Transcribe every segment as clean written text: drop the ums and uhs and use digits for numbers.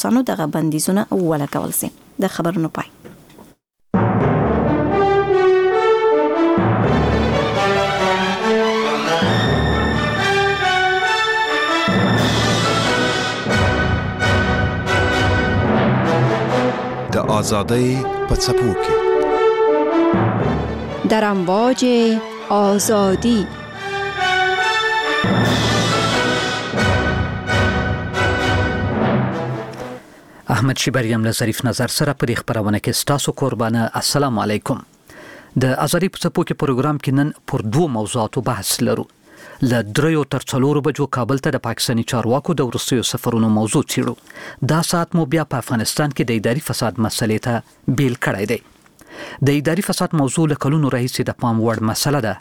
روسانو دغه بندیزونه ولګول شي. د خبرونو پای. د آزادۍ په څپو کې، در امواج آزادی. احمد شیبر له ظریف نظر سره په دې خپرونه کې ستاسو کوربانه. السلام علیکم. د آزادۍ په څپو کې پروګرام کې نن پر دوو موضوعاتو بحث لرو. له 3 تر 4 بجو کابل ته د پاکستاني چارواکو د وروستیو سفرونو موضوع څېړو. دا ساعت مو بیا په افغانستان کې د اداري فساد مسئلې ته بیل کړی دی. د اداري فساد موضوع له کلونو راهیسې د پام وړ مسله ده،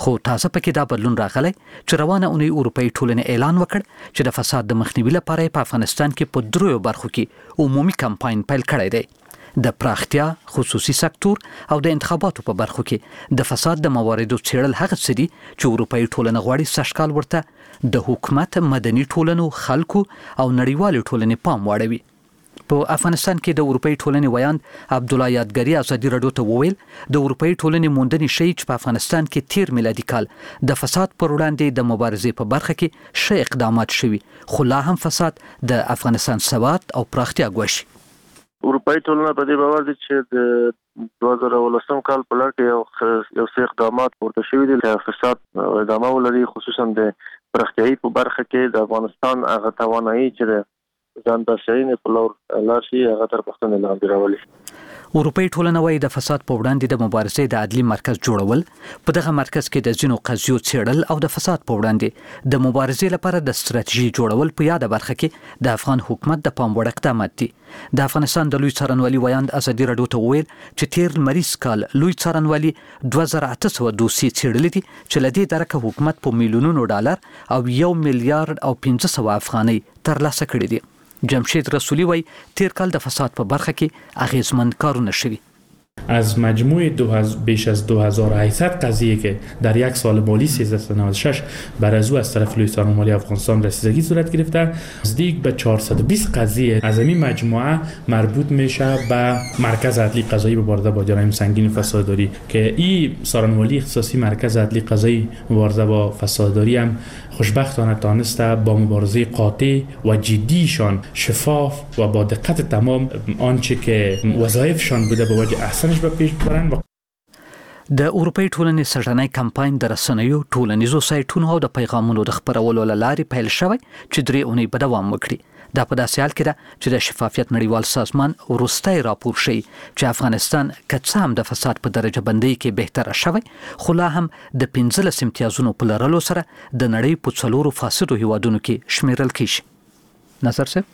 خو تازه پکې دا بدلون راغلی چې روانه اونۍ اروپایي ټولنې اعلان وکړ چې د فساد د مخنیوي لپاره یې په افغانستان کې په 3 برخو کې عمومي کمپاین پیل کړی دی. د پراختیا، خصوصي سکتور او د انتخاباتو په برخو کې د فساد د مواردو څېړل هغه څه دي چې اروپایي ټولنه غواړي سږکال ورته د حکومت، مدني ټولنو، خلکو او نړیوالې ټولنې پام واړوي. په افغانستان کې د اروپایي ټولنې ویاند عبدالله یادګاري ازادي راډیو ته وویل، د اروپایي ټولنې موندنې ښيي چې په افغانستان کې تیر میلادي کال د فساد پر وړاندې د مبارزې په برخه کې ښه اقدامات شوي، خو لا هم فساد د افغانستان ثبات او پراختیا ګواښي. اروپایي ټولنه په دې باور دي چې د 2019 کال په لړ کې یو څه اقدامات پورته شوي دي چې فساد ادامه ولري، خصوصا د پراختیایي په برخه کې د افغانستان هغه توانایي چې د ځان بسیاینې په لور لاړ شي هغه تر پوښتنې لاندې راولي. اروپایي ټولنه وایي د فساد په وړاندې د مبارزې د عدلي مرکز جوړول، په دغه مرکز کې د ځینو قضیو څېړل او د فساد په وړاندې د مبارزې لپاره د ستراتیژي جوړول په یاده برخه کې د افغان حکومت د پام وړ اقدامات دي. د افغانستان د لوی څارنوالي ویاند ازادي راډیو ته وویل چې تیر لمریز کال لوی څارنوالي 2800 دوسیې څېړلې دي چې له دې درکه حکومت په میلیونونو ډالر او 1 میلیارډ او 500 افغانۍ ترلاسه کړې دي. جمشید رسولي وایي تیر کال د فساد په برخه کې اغیزمن کارونه شوي. از مجموع بیش از 2800 قضیه که در یک سال مالی 1396 بر از او از طرف لوی څارنوالي افغانستان رسیدگی صورت گرفته، نزدیک به 420 قضیه از این مجموعه مربوط میشه به مرکز عدلی قضایی مبارزه با جرایم سنگین فسادداری که این څارنوالي اختصاصی مرکز عدلی قضایی مبارزه با فسادداری هم خوشبختانه تانسته با مبارزه قاطع و جدیشان، شفاف و با دقت تمام آنچه که وظایفشان بوده به وجه احسنش به پیش ببرند. د اروپایي ټولنې سږنی کمپاین د رسنیو، ټولنیزو سایټونو او د پیغامونو د خپرولو له لارې پیل شوی چې 3 اونۍ به دوام وکړي. دا په داسې حال کې ده چې د شفافیت نړیوال سازمان وروستی راپور ښيي چې افغانستان که څه هم د فساد په درجه بندۍ کې بهتره شوی، خو لا هم د 15 امتیازونو په لرلو سره د نړۍ په 4 فاسدو هیوادونو کې شمیرل کیږي. نظر صاحب.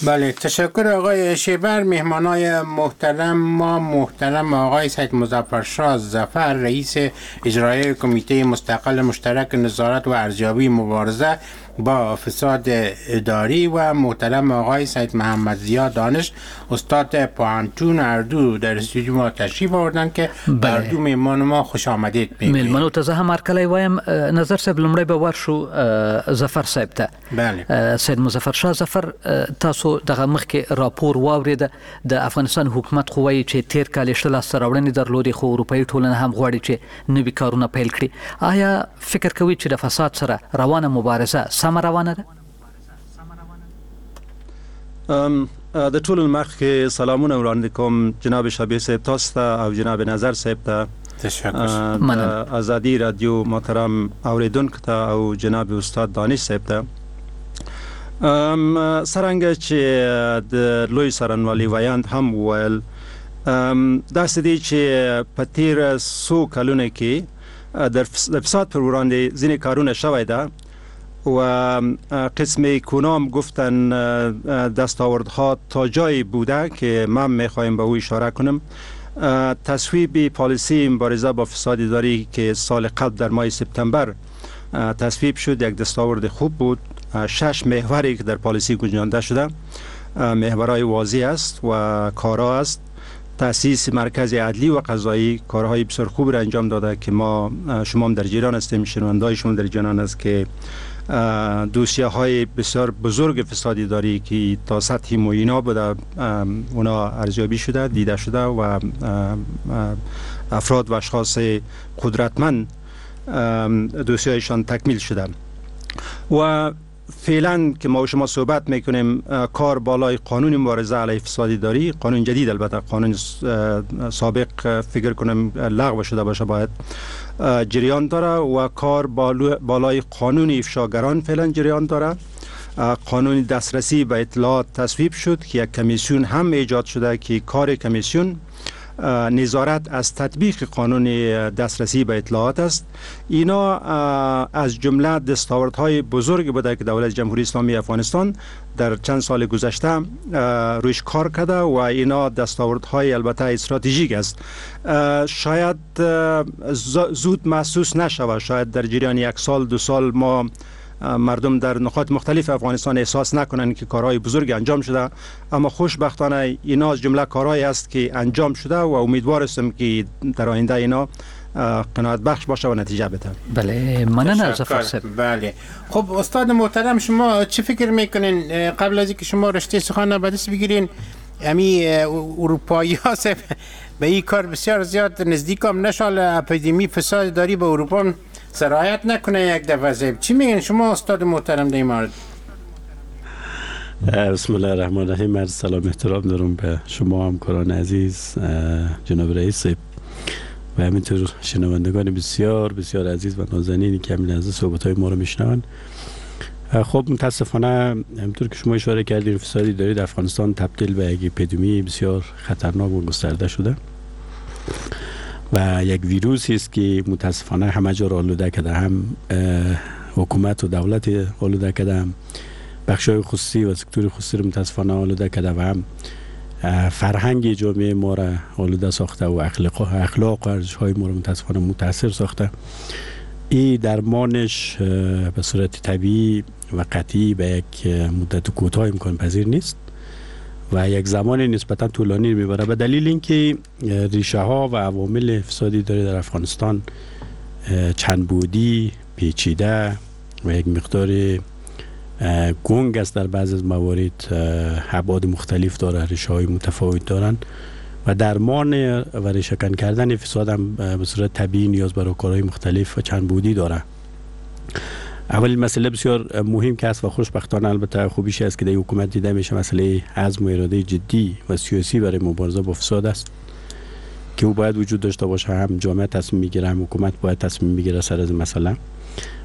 بله، تشکر آقای شیبر. مهمانای محترم ما، محترم آقای سید مظفر شاه ظفر، رئیس اجرایی کمیته مستقل مشترک نظارت و ارزیابی مبارزه با فساد اداری، و محترم آقای سید محمد ضیا دانش، استاد پوهنتون، اردو در استودیو ما تشریف آوردن که اردو مهمان ما خوش آمدید میگوییم. میلمنو ته زه هم هرکلی وایم. نظر صاحب، لومړی به ورشو ظفر صاحب ته. بله. سید مظفر شاه ظفر، تاسو دغه مخکې راپور واورېده. د افغانستان حکومت خو وایي چې تیر کال یې ښه لاسته راوړنې درلودې، خو اروپایي ټولنه هم غواړي چې نوي کارونه پیل کړي. آیا فکر کوئ چې د فساد سره روانه مبارزه سمه روانه ده؟ د ټولو مخکې سلامونه وړاندې کوم جناب شبیر صاحب تاسو ته او جناب نظر صاحب ته. تشکر. د ازادي رادیو محترم اوریدونکو ته او جناب استاد دانش صاحب ته. څرنګه چې د لوی څارنوالي ویاند هم وویل، داسې دی چې په تیر څو کلونو کې د فساد پر وړاندې ځینې کارونه شوی ده و قسم کنام گفتن دستاوردها تا جایی بوده که من میخوایم به او اشاره کنم. تصویب پالیسی مبارزه با فساد اداری که سال قبل در ماه سپتامبر تصویب شد یک دستاورد خوب بود. 6 محوری که در پالیسی گنجانده شده محورهای واضح است و کارا است. تأسیس مرکز عدلی و قضایی کارهای بسیار خوب را انجام داده که ما شما هم در جریان هستیم، شنونده‌های شما در جریان است که دوسیه های بسیار بزرگ فساد اداری که تا سطح معینا بوده اونا ارزیابی شده، دیده شده و افراد و اشخاص قدرتمند دوسیه‌هایشان تکمیل شده. و فعلا که ما و شما صحبت میکنیم کار بالای قانون مبارزه علیه فساد اداری، قانون جدید، البته قانون سابق فکر کنم لغو شده باشه، باید جریان داره و کار بالای قانون افشاگران فعلا جریان داره. قانون دسترسی به اطلاعات تصویب شد که یک کمیسیون هم ایجاد شده که کار کمیسیون نظارت از تطبیق قانون دسترسی به اطلاعات است. اینا از جمله دستاوردهای بزرگ بوده که دولت جمهوری اسلامی افغانستان در چند سال گذشته رویش کار کرده و اینا دستاوردهای البته استراتژیک است. شاید زود محسوس نشود، شاید در جریان یک سال دو سال ما مردم در نقاط مختلف افغانستان احساس نکنند که کارهای بزرگ انجام شده، اما خوشبختانه اینا از جمله کارهایی است که انجام شده و امیدوار هستم که در آینده اینا قناعت بخش باشه و نتیجه بده. بله، مننه ظفر صاحب. بله، خب استاد محترم شما چه فکر میکنین قبل از اینکه شما رشته سخن به دست بگیرین، امی اروپایی ها به این کار بسیار زیاد نزدیک هم نشال اپیدمی فساد داری به اروپا سرایت نکنه یک دفعه صاحب، چی میگن شما استاد محترم در این مورد؟ بسم الله الرحمن الرحیم. عرض سلام احترام دارم به شما همکاران عزیز، جناب رئیس صاحب و همینطور شنوندگان بسیار بسیار عزیز و نازنینی که همین لحظه صحبت‌های ما رو میشنون. خب متاسفانه همینطور که شما اشاره کردید فساد اداری در افغانستان تبدیل به یک اپیدمی بسیار خطرناک و گسترده شده و یک ویروسی است که متاسفانه همه جا را آلوده کرده، هم حکومت و دولت آلوده کرده، هم بخش‌های خصوصی و سکتور خصوصی را متاسفانه آلوده کرده و هم فرهنگ جامعه ما را آلوده ساخته و اخلاق و ارزش‌های ما را متاسفانه متاثر ساخته. این درمانش به صورت طبیعی و قطعی به یک مدت کوتاه امکان پذیر نیست و یک زمان نسبتا طولانی میبره، به دلیل اینکه ریشه ها و عوامل فسادی داره در افغانستان چند بعدی، پیچیده و یک مقدار گنگ است. در بعض از موارد ابعاد مختلف داره، ریشه های متفاوت دارن و درمان و ریشه کن کردن فساد هم به صورت طبیعی نیاز به راهکارهای مختلف و چند بعدی داره. اولین مسئله بسیار مهم که است و خوشبختانه البته خوبیش است که در حکومت دیده میشه، مسئله عزم و اراده جدی و سیاسی برای مبارزه با فساد است که او باید وجود داشته باشه. هم جامعه تصمیم میگیره، هم حکومت باید تصمیم میگیره سر از مسئله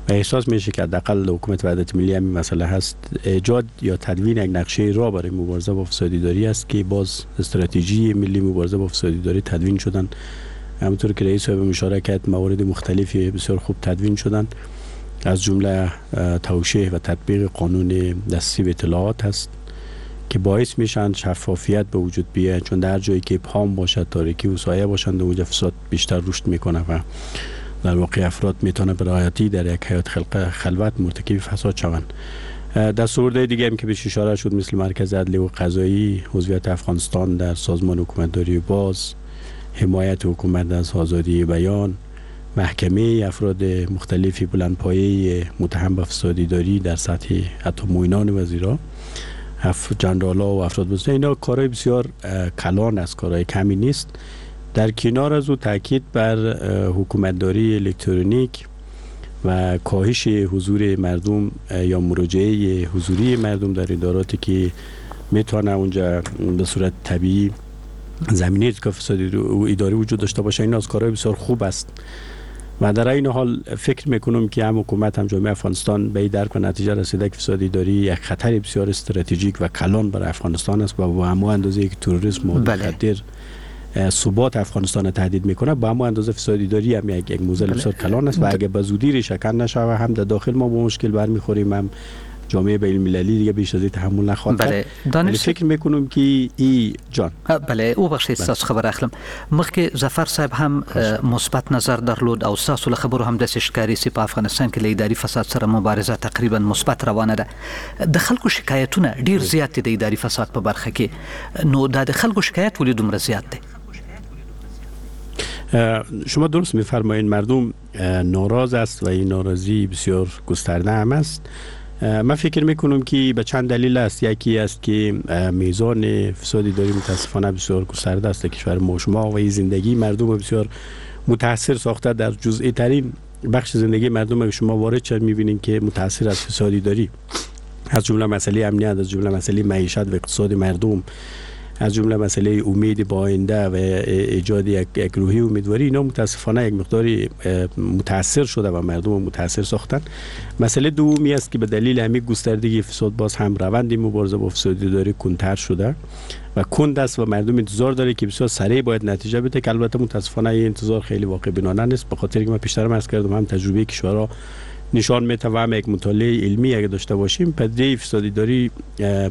و احساس میشه که حداقل حکومت وحدت ملی هم مسئله هست. ایجاد یا تدوین یک نقشه راه برای مبارزه با فساد اداری است که باز استراتژی ملی مبارزه با فساد اداری تدوین شدن، همونطور که رئیس صاحب اشاره کرد موارد مختلفی بسیار خوب تدوین شدن، از جمله توشیح و تطبیق قانون دسترسی به اطلاعات هست که باعث میشن شفافیت به وجود بیاید، چون در جایی که ابهام باشد، تاریکی و سایه باشند، اونجا فساد بیشتر رشد میکنه و در واقع افراد میتونه به راحتی در یک حیات خلوت مرتکب فساد شوند. دستاوردهای دیگه هم که بهش اشاره شد مثل مرکز عدلی و قضایی، عضویت افغانستان در سازمان حکومتداری باز، حمایت حکومت از آزادی بیان، محکمه افراد مختلفی بلندپایه متهم به فساد اداری در سطح حتی معینان وزیرا، جنرالا و افراد بزرگ، اینا کارهای بسیار کلان است، کارهای کمی نیست. در کنار از او تاکید بر حکومتداری الکترونیک و کاهش حضور مردم یا مراجعه حضوری مردم در اداراتی که میتونه اونجا به صورت طبیعی زمینه که فساد اداری وجود داشته باشه، این از کارهای بسیار خوب است. و در این حال فکر میکنم که هم حکومت هم جامعه افغانستان به این درک و نتیجه رسیده که فساد اداری یک خطر بسیار استراتژیک و کلان برای افغانستان است و با همون اندازه که تروریسم و مخدر ثبات افغانستان تهدید میکنه، با همون اندازه فساد اداری هم یک موزل بسیار کلان است و اگه به زودی ریشه کن نشود هم در داخل ما با مشکل برمیخوریم، هم جامعه بین المللی دیگه بیش از این تحمل نخواهد کرد. بله، فکر میکنم که ای جان بله وبخښئ ستاسو خبره اخلم. مخکې ظفر صاحب هم مثبت نظر درلود او ستاسو له خبرو هم داسې ښکاري چې په افغانستان کې له اداري فساد سره مبارزه تقریبا مثبت روانه ده. د خلکو شکایتونه ډیر زیات دي د اداري فساد په برخه کې، نو دا د خلکو شکایت ولې دومره زیات دی؟ شما درست میفرمایید، مردم ناراض است و این ناراضی بسیار گسترده هم است. من فکر میکنم که به چند دلیل است. یکی است که میزان فساد اداری متاسفانه بسیار گسترده است در کشور ما شما و این زندگی مردم بسیار متاثر ساخته. در جزئی ترین بخش زندگی مردم که شما وارد شد میبینین که متاثر از فساد اداری، از جمله مسئله امنیت، از جمله مسئله معیشت و اقتصاد مردم، از جمله مسئله امید به آینده و ایجاد یک روحی امیدواری، اینا متاسفانه یک مقداری متاثر شده و مردم متاثر ساختن. مسئله دومی است که به دلیل همین گستردگی فساد باز هم روند مبارزه با فساد اداری کندتر شده و کند است و مردم انتظار داره که بسیار سریع باید نتیجه بده، که البته متاسفانه این انتظار خیلی واقع بینانه نیست، به خاطر اینکه من پیشتر عرض کردم هم تجربه کشورها نشان میده و هم یک مطالعه علمی اگه داشته باشیم، پدیده فساد اداری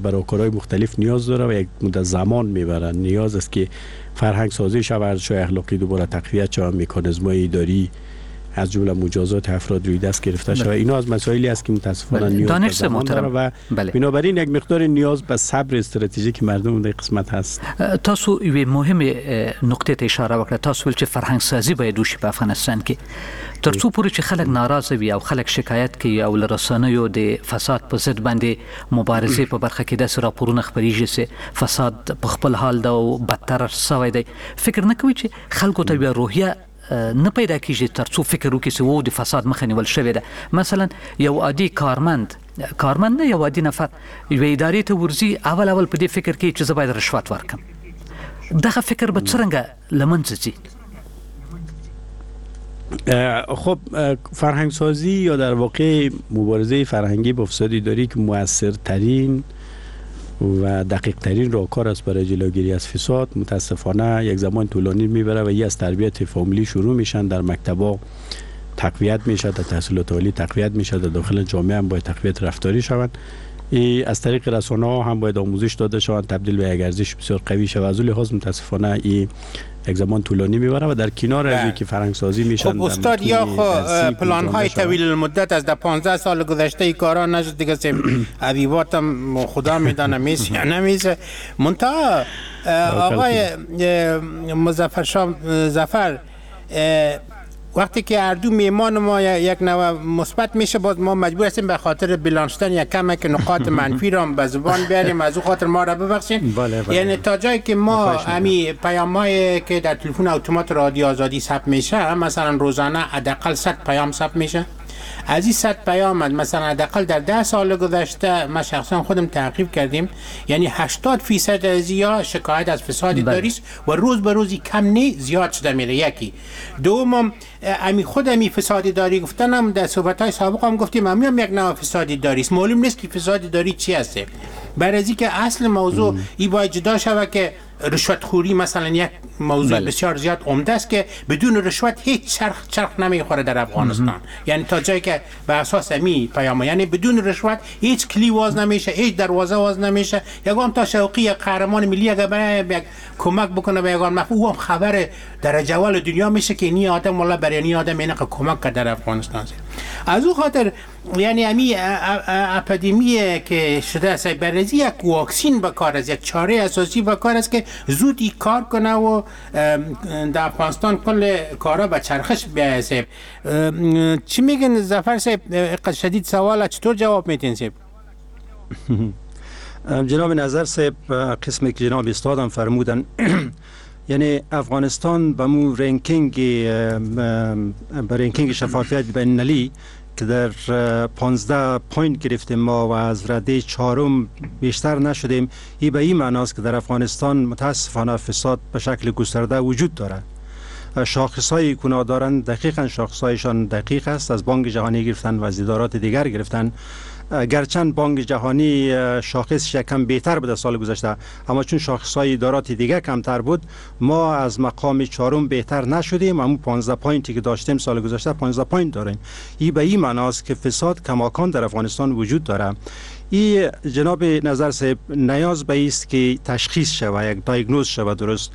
برای کارهای مختلف نیاز داره و یک مدت زمان میبره. نیاز است که فرهنگ سازی شود، ارزش‌های اخلاقی دوباره تقویت شود، مکانیزم‌های اداری از جمله مجازات افراد روی دست گرفته شود. اینا از مسائلی است که متاسفانه نیاز به زمان داره و بنابراین یک مقدار نیاز به صبر استراتژیک مردم در قسمت هست. تاسو یوې مهمې نقطې ته اشاره وکړه. تاسو ویل چې فرهنګ سازي باید وشي په افغانستان کې، تر څو پورې چې خلک ناراضه وي او خلک شکایت کوي او له رسنیو د فساد په ضد باندې مبارزې په برخه کې داسې راپورونه خپریږي چې فساد په خپل حال ده او بدتر سوی دی، فکر نه کوي چې خلکو ته بیا روحیه نه پیدا کیږي ترڅو فکر وکړي چې وو د فساد مخه نیول شوې ده؟ مثلا یو عادي کارمند نه، یو عادي نفر یوې ادارې ته ورځي، اول په دې فکر کوي چې زه باید رشوت ورکړم. دغه فکر به څرنګه له منځه ځي؟ خب فرهنگ سازی یا در واقع مبارزه فرهنگی با فساد اداری که موثرترین و دقیق ترین راهکار است برای جلوگیری از فساد، متاسفانه یک زمان طولانی میبره و یه از تربیت فامیلی شروع میشن، در مکتبا تقویت میشه، در تحصیلات عالی تقویت میشه، در داخل جامعه هم باید تقویت رفتاری شوند، از طریق رسانه ها هم باید آموزش داده شوند، تبدیل به یک ارزش بسیار قوی شود. از لحاظ متاسفانه این یک زمان طولانی میبره و در کنار از اینکه فرهنگ سازی میشن. خب استاد، یا خو پلان های طویل المدت از 15 سال گذشته ای کارا نشد دیگه، ادیباتم خدا میدانه میشه یا نمیشه. منتها آقای مظفر شاه ظفر، وقتی که هر دو میمان ما یک نوع مثبت میشه، باز ما مجبور هستیم به خاطر بیلانشتن یک کم که نقاط منفی را به زبان بیاریم، از او خاطر ما را ببخشین. یعنی تا جایی که ما همی پیام‌هایی که در تلفن اتومات رادیو آزادی ثبت میشه، مثلا روزانه حداقل 100 پیام ثبت میشه، از این 100 پیام مثلا حداقل در 10 سال گذشته ما شخصا خودم تعقیب کردیم، یعنی 80% از یا شکایت از فساد اداری است و روز به روز کم نه زیاد شده میره. یکی دوم، امی خود امی فساد اداری گفتنم در صحبت های سابق هم گفتیم، امی هم یک نوع فساد اداری است، معلوم نیست که فساد اداری چی هست. برای از اینکه اصل موضوع ای باید جدا شود که رشوت خوری مثلا یک موضوع بسیار زیاد عمده است که بدون رشوت هیچ چرخ نمیخوره در افغانستان. یعنی تا جایی که به اساس می پیام، یعنی بدون رشوت هیچ کلی واز نمیشه، هیچ دروازه واز نمیشه. یگان تا شوقی قهرمان ملی اگه برای کمک بکنه به یگان مفهوم، او هم خبر درجه اول دنیا میشه که نی آدم والله برای نی آدم اینقدر کمک کرد در افغانستان. از او خاطر یعنی امی اپیدمی که شده است، برای یک واکسین به کار است، یک چاره اساسی به کار است که زود ای کار کنه و در افغانستان کل کارا به چرخش بیایه. صاحب چی میگن ظفر صاحب؟ شدید سوال، چطور جواب میتین صاحب؟ جناب نظر صاحب، قسمی که جناب استادم فرمودن، یعنی افغانستان به مو ranking، به ranking شفافیت بین‌المللی که در 15 point گرفتیم ما و از رده 4 بیشتر نشدیم، این به این معناست که در افغانستان متاسفانه فساد به شکل گسترده وجود دارد. شاخص‌های کنا دارند، دقیقاً شاخص‌هایشان دقیق است، از بانک جهانی گرفتن و از ادارات دیگر گرفتن. گرچند بانک جهانی شاخص یکم بهتر بود سال گذشته، اما چون شاخص‌های ادارات دیگه کمتر بود، ما از مقام 4 بهتر نشدیم. اما 15 point ی که داشتیم سال گذشته 15 point داریم. این به این معناست که فساد کماکان در افغانستان وجود داره. این جناب نظر صاحب نیاز به است که تشخیص شود، یک diagnose شود درست.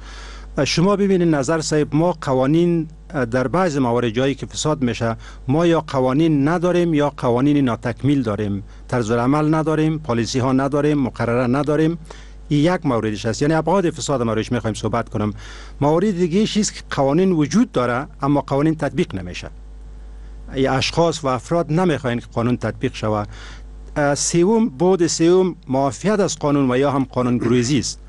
شما ببینید نظر صاحب، ما قوانین در بعض موارد جایی که فساد میشه، ما یا قوانین نداریم یا قوانین ناتکمیل داریم، طرز العمل نداریم، پالیسی ها نداریم، مقرره نداریم. این یک موردش است، یعنی ابعاد فساد ما روش میخوایم صحبت کنم. مورد دیگه است که قوانین وجود داره اما قوانین تطبیق نمیشه، ای اشخاص و افراد نمیخواین که قانون تطبیق شود. سوم، بعد سوم معافیت از قانون و یا هم قانون گریزی است.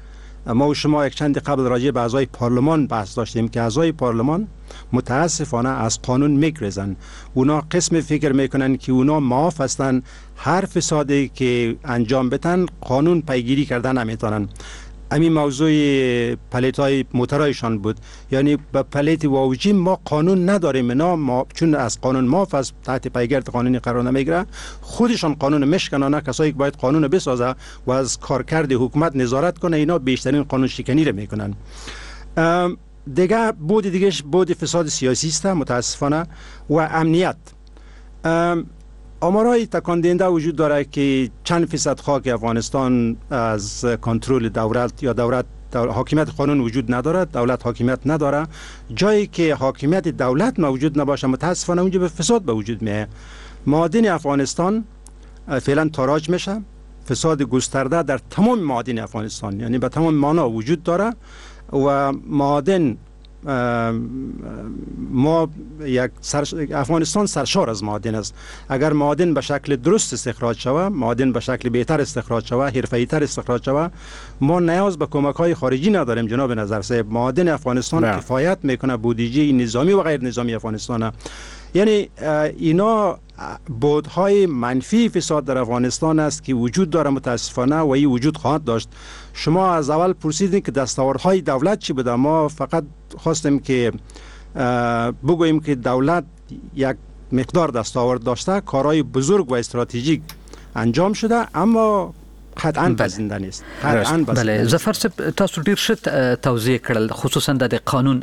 ما و شما یک چند قبل راجع به اعضای پارلمان بحث داشتیم که اعضای پارلمان متاسفانه از قانون میگریزن. اونا قسم فکر میکنن که اونا معاف هستن، هر فسادی که انجام بدن قانون پیگیری کردن نمیتونن. همین موضوع پلیت های موترایشان بود، یعنی به پلیت واوجی ما قانون نداریم، اینا ما چون از قانون معاف است، تحت پیگرد قانونی قرار نمیگیره، خودشان قانون مشکنانه. کسایی که باید قانون بسازه و از کارکرد حکومت نظارت کنه، اینا بیشترین قانون شکنی رو میکنن. دیگه بود دیگهش بود فساد سیاسی است متاسفانه و امنیت. آمارهای تکان دهنده وجود داره که چند فیصد خاک افغانستان از کنترل دولت یا دولت حاکمیت قانون وجود نداره، دولت حاکمیت نداره. جایی که حاکمیت دولت موجود نباشه متاسفانه اونجا به فساد به وجود میاد. معادن افغانستان فعلا تاراج میشه، فساد گسترده در تمام معادن افغانستان، یعنی به تمام معنا وجود داره و معادن ما یک افغانستان سرشار از معادن است. اگر معادن به شکل درست استخراج شود، معادن به شکل بهتر استخراج شود، حرفه‌ای‌تر استخراج شود، ما نیاز به کمک‌های خارجی نداریم جناب نظر صاحب. معادن افغانستان کفایت میکنه بودجه نظامی و غیر نظامی افغانستان. یعنی اینا بعدهای منفی فساد در افغانستان است که وجود داره متاسفانه و این وجود خواهد داشت. شما از اول پرسیدین که دستاوردهای دولت چی بوده، ما فقط خواستیم که بگوییم که دولت یک مقدار دستاورد داشته، کارهای بزرگ و استراتژیک انجام شده، اما قطعاً پذیرنده نیست. قطعاً بله ظفر صاحب، تاسو ډیر ښه توضیح کړل، خصوصا د قانون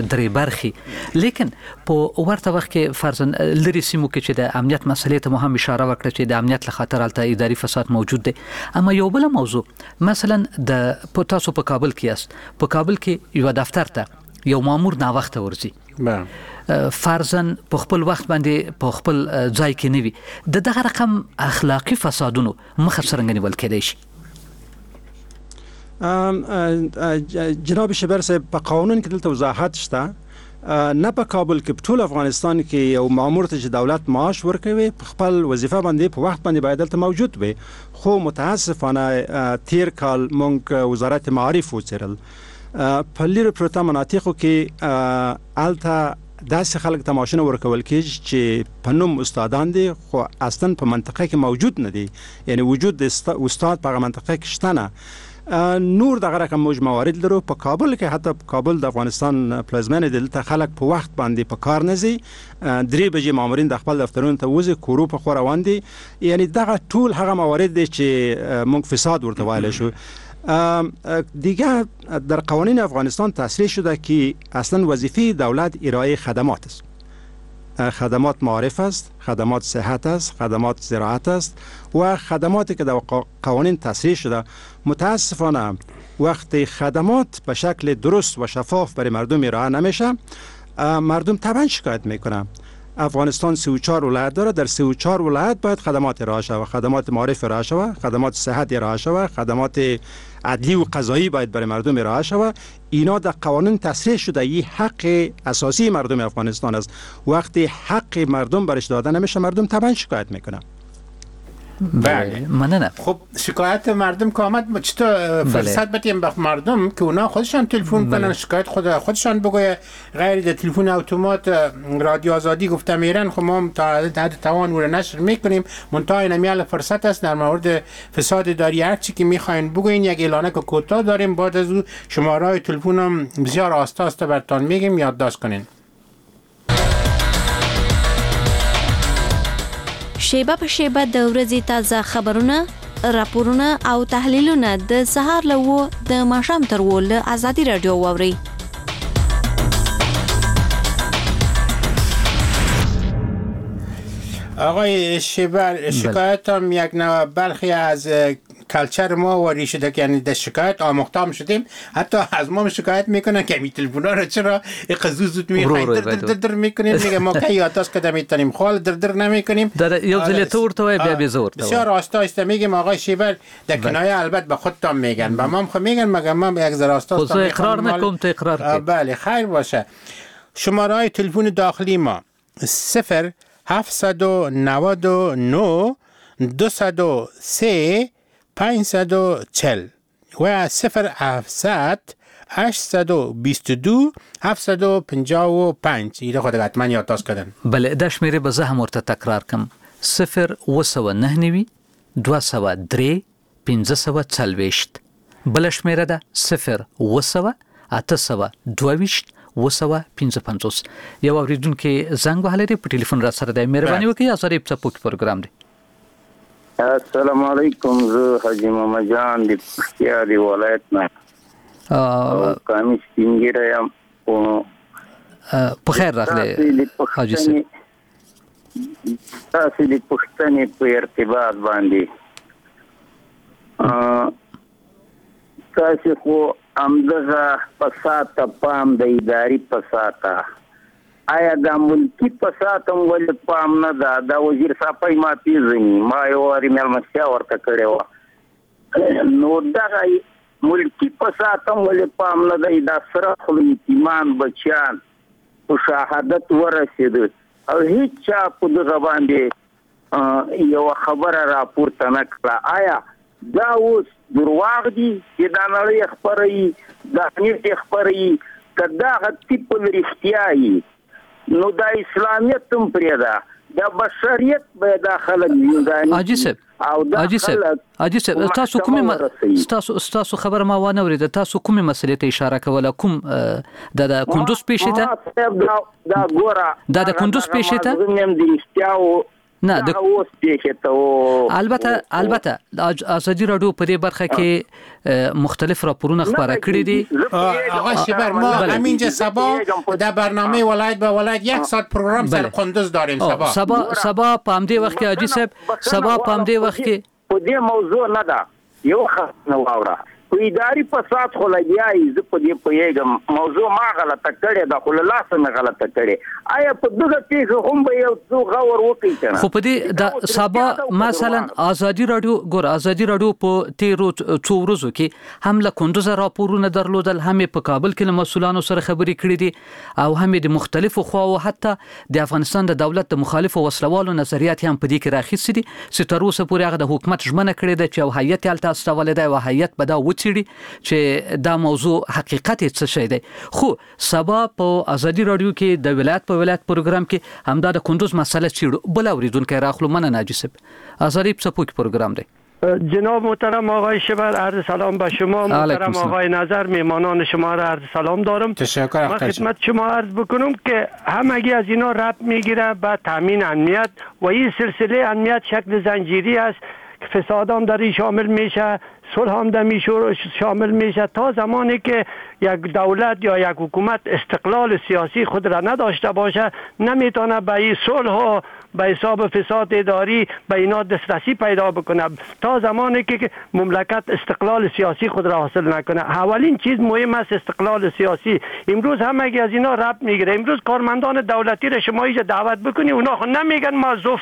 درې برخې. لیکن په ورته وخت کې فرضاً لرې سیمو کې چې د امنیت مسئلې ته مو هم اشاره وکړه چې د امنیت له خاطر هلته اداري فساد موجود دی. اما یو بله موضوع، مثلا د تاسو په کابل کې یاست، په کابل کې یو دفتر ته یو مامور ناوخته ورځي، فرضاً په خپل وخت باندې په خپل ځای کې نه وي، د دغه رقم اخلاقي فسادونو مخه څرنګه نیول کېدای شي؟ جناب شبر صاحب، په قانون کې دلته وضاحت شته، نه په کابل کې، په ټول افغانستان کې یو مامور ته چې دولت معاش ورکوي په خپل وظیفه باندې په وخت باندې باید دلته موجود وي. خو متاسفانه تیر کال مونږ وزارت معارف وڅېړل، په لرې پرته مناطقو کې هلته داسې خلک ته معاشونه ورکول کېږي چې په نوم استادان دي خو اصلا په منطقه کې موجود نه دي، یعنی وجود د استاد په هغه منطقه کې شته نه. نور دغه رقم موږ موارد لرو په کابل کې، حتی کابل د افغانستان پلازمینه دی، دلته خلک په وخت باندې په کار نه ځي، 3 بجې مامورین د خپل دفترونو ته وځي، کورو په خوا روان دي. یعنی دغه ټول هغه موارد دي چې موږ فساد ورته ویلی شو. دیگه در قوانین افغانستان تصریح شده که اصلا وظیفه دولت ارائه خدمات است. خدمات معارف است، خدمات صحت است، خدمات زراعت است و خدماتی که در قوانین تصریح شده. متاسفانه وقتی خدمات به شکل درست و شفاف برای مردم ارائه نمیشه، مردم طبعا شکایت میکنه. افغانستان 34 ولایت داره، در 34 ولایت باید خدمات ارائه شود، خدمات معارف ارائه شود، خدمات صحت ارائه شود، خدمات عدلی و قضایی باید برای مردم ارائه شود. اینا در قوانین تصریح شده، این حق اساسی مردم افغانستان است. وقتی حق مردم برش داده نمیشه، مردم طبعا شکایت میکنه. بله مننه. خب شکایت مردم که آمد، چطور فرصت بدیم به مردم که اونا خودشان تلفن کنن، شکایت خودشان بگویه، غیر د تلفن اتومات رادیو آزادی گفته میرن. خب ما تا حد توان او نشر میکنیم، منتها اینم فرصت است در مورد فساد اداری هر چی که میخواین بگوین. یک اعلانه که کوتاه داریم، بعد از او شماره تلفن هم بسیار آسته آسته براتون میگیم، یادداشت کنین. شیبه په شیبه د ورځې تازه خبرونه، راپورونه او تحلیلونه د سهار له 7 د ماښام تر 7 له ازادي راډیو واورئ. آقای شیبر، شکایت هم یک نوع برخی از culture ما واری شده که یعنی در شکایت آموخته شدیم، حتی از ما شکایت میکنن که می تلفن رو چرا اینقدر زود زود میخواین در در در میکنیم، میگه ما کی یادداشت کده میتونیم، خال در در نمیکنیم. یو ځل ته ورته وای بیا به زه ورته بسیار آستا آسته میگیم آقای شیبر، در کنایه البته به خودتان میگن، به ما هم میگن، مگه ما یک ذره آستا آستا اقرار نکنم تو اقرار کی. بله خیر باشه. شماره تلفن داخلی ما 0 799 203 540 و 0 700 822 755. ایره خود حتما یادداشت کردن. بله دا شمېرې به زه هم ورته تکرار کم. 0 799 203 540. بله شمېره ده 0 700 822 755. یو اوریدونکي زنګ وهلی دی، په ټلیفون را سره دی، مهرباني وکړئ. ازادي په څپو کې پروګرام دی. السلام علیکم، زه حاجي محمد جان د پکتیا د ولایت نه او قامي سپینږیری یم. په خیر راغلی حاجي صاحب. تاسې د پوښتنې په ارتباط باندې تاسې خو همدغه فساد ته پام د اداري فساد ته، آیا دا ملکي فساد هم ولې پام نه ده؟ دا وزیر صاحب ما پېژني، ما یو وارې مېلمستیا ورته کړې وه. نو دغه ملکي فساد هم ولې پام نه دی؟ دا سره خوله یتیمان بچیان په شهادت ورسېده او هیچا په دغه باندې یوه خبره راپورته نه کړه. آیا دا اوس درواغ دي چې دا نړۍ خپروي، دا نیت خپروي؟ که دغه تیپل رښتیا وي نو دا اسلامیت هم پرېږده، دا بشریت به دا خلک زنداني. حاجي صاحب او دا حاجي صاحب تاسو کومې ستاسو خبره ما وانه ورېده، تاسو کومې مسئلې ته اشاره کوله؟ کوم دا د کندوز پېښې ته؟ دا ګوره دا د کندوز پېښې ته نه د اوس پېښې ته. البته ازادي راډیو په دې برخه کې مختلف راپورونه خپاره کړي دي. آقا شیبر ما همینجا سبا در برنامه ولایت به ولایت یک ساعت پروگرام سر قندوز داریم. سبا په همدې وخت کې حاجي صاحب، سبا په همدې وخت کې په دې موضوع نه ده، یو خبره واوره. په اداري فساد خو لګیا یې، زه په دې پوهېږم، موضوع ما غلطه کړې ده، خو له لاسه مې غلطه کړې. آیا په دغه پېښه هم به یو څو غور وکړي که نه؟ خو په دې د سبا مثلا ازادي راډیو ګوره، ازادي راډیو په تېرو څو ورځو کې هم له کندوزه راپورونه درلودل، هم یې په کابل کې له مسؤلانو سره خبرې کړې دي، او هم یې د مختلفو خواوو حتی د افغانستان د دولت د مخالفو وسلوالو نظریات هم په دې کې راخیستي دي چې تر اوسه پورې هغه د حکومت ژمنه کړې ده چې یو هیئت یې هلته استولی دی او هیئت به دا وڅېړي چې دا موضوع حقیقت یې څه شی دی. خو سبا په ازادي راډیو کې د ولایت په ولایت پروګرام کې همدا د کندوز مسئله څېړو. بل اورېدونکی راخلو. مننه حاجي صاحب. ازادي په څپو کې پروګرام دی. جناب محترم آقای شبر عرض سلام به شما، محترم آقای نظر، میهمانان شما را عرض سلام دارم. تشکر. من خدمت شما عرض بکنم که همگی از اینا ربط میگیره به تامین امنیت و این سلسله امنیت شکل زنجیری است که فساد هم در این شامل میشه، صلح هم در شامل میشه. تا زمانی که یک دولت یا یک حکومت استقلال سیاسی خود را نداشته باشه نمیتونه به این صلح و به حساب فساد اداری به اینا دسترسی پیدا بکنه. تا زمانی که مملکت استقلال سیاسی خود را حاصل نکنه، اولین چیز مهم است استقلال سیاسی. امروز همگی از اینا ربط میگیره. امروز کارمندان دولتی را شما اینجا دعوت بکنی، اونا خود نمیگن ما ضعف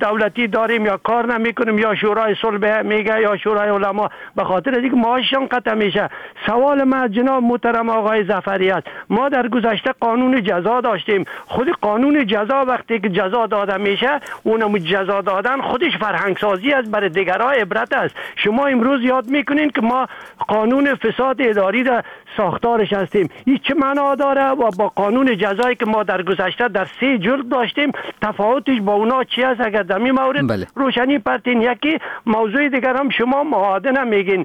دولتی داریم یا کار نمیکنیم یا شورای صلح میگه یا شورای علما، به خاطر اینکه معاششان قطع میشه. سوال من جناب محترم آقای ظفری است، ما در گذشته قانون جزا داشتیم. خود قانون جزا وقتی که جزا داده میشه، اونم جزا دادن خودش فرهنگ سازی است، برای دیگرها عبرت است. شما امروز یاد میکنین که ما قانون فساد اداری را ساختارش هستیم. این چه معنا داره؟ و با قانون جزایی که ما در گذشته در 3 جلد داشتیم تفاوتش با اونا چی است؟ اگر در این مورد بله. روشنی پرتین. یکی موضوع دیگر هم شما معادن میگین؟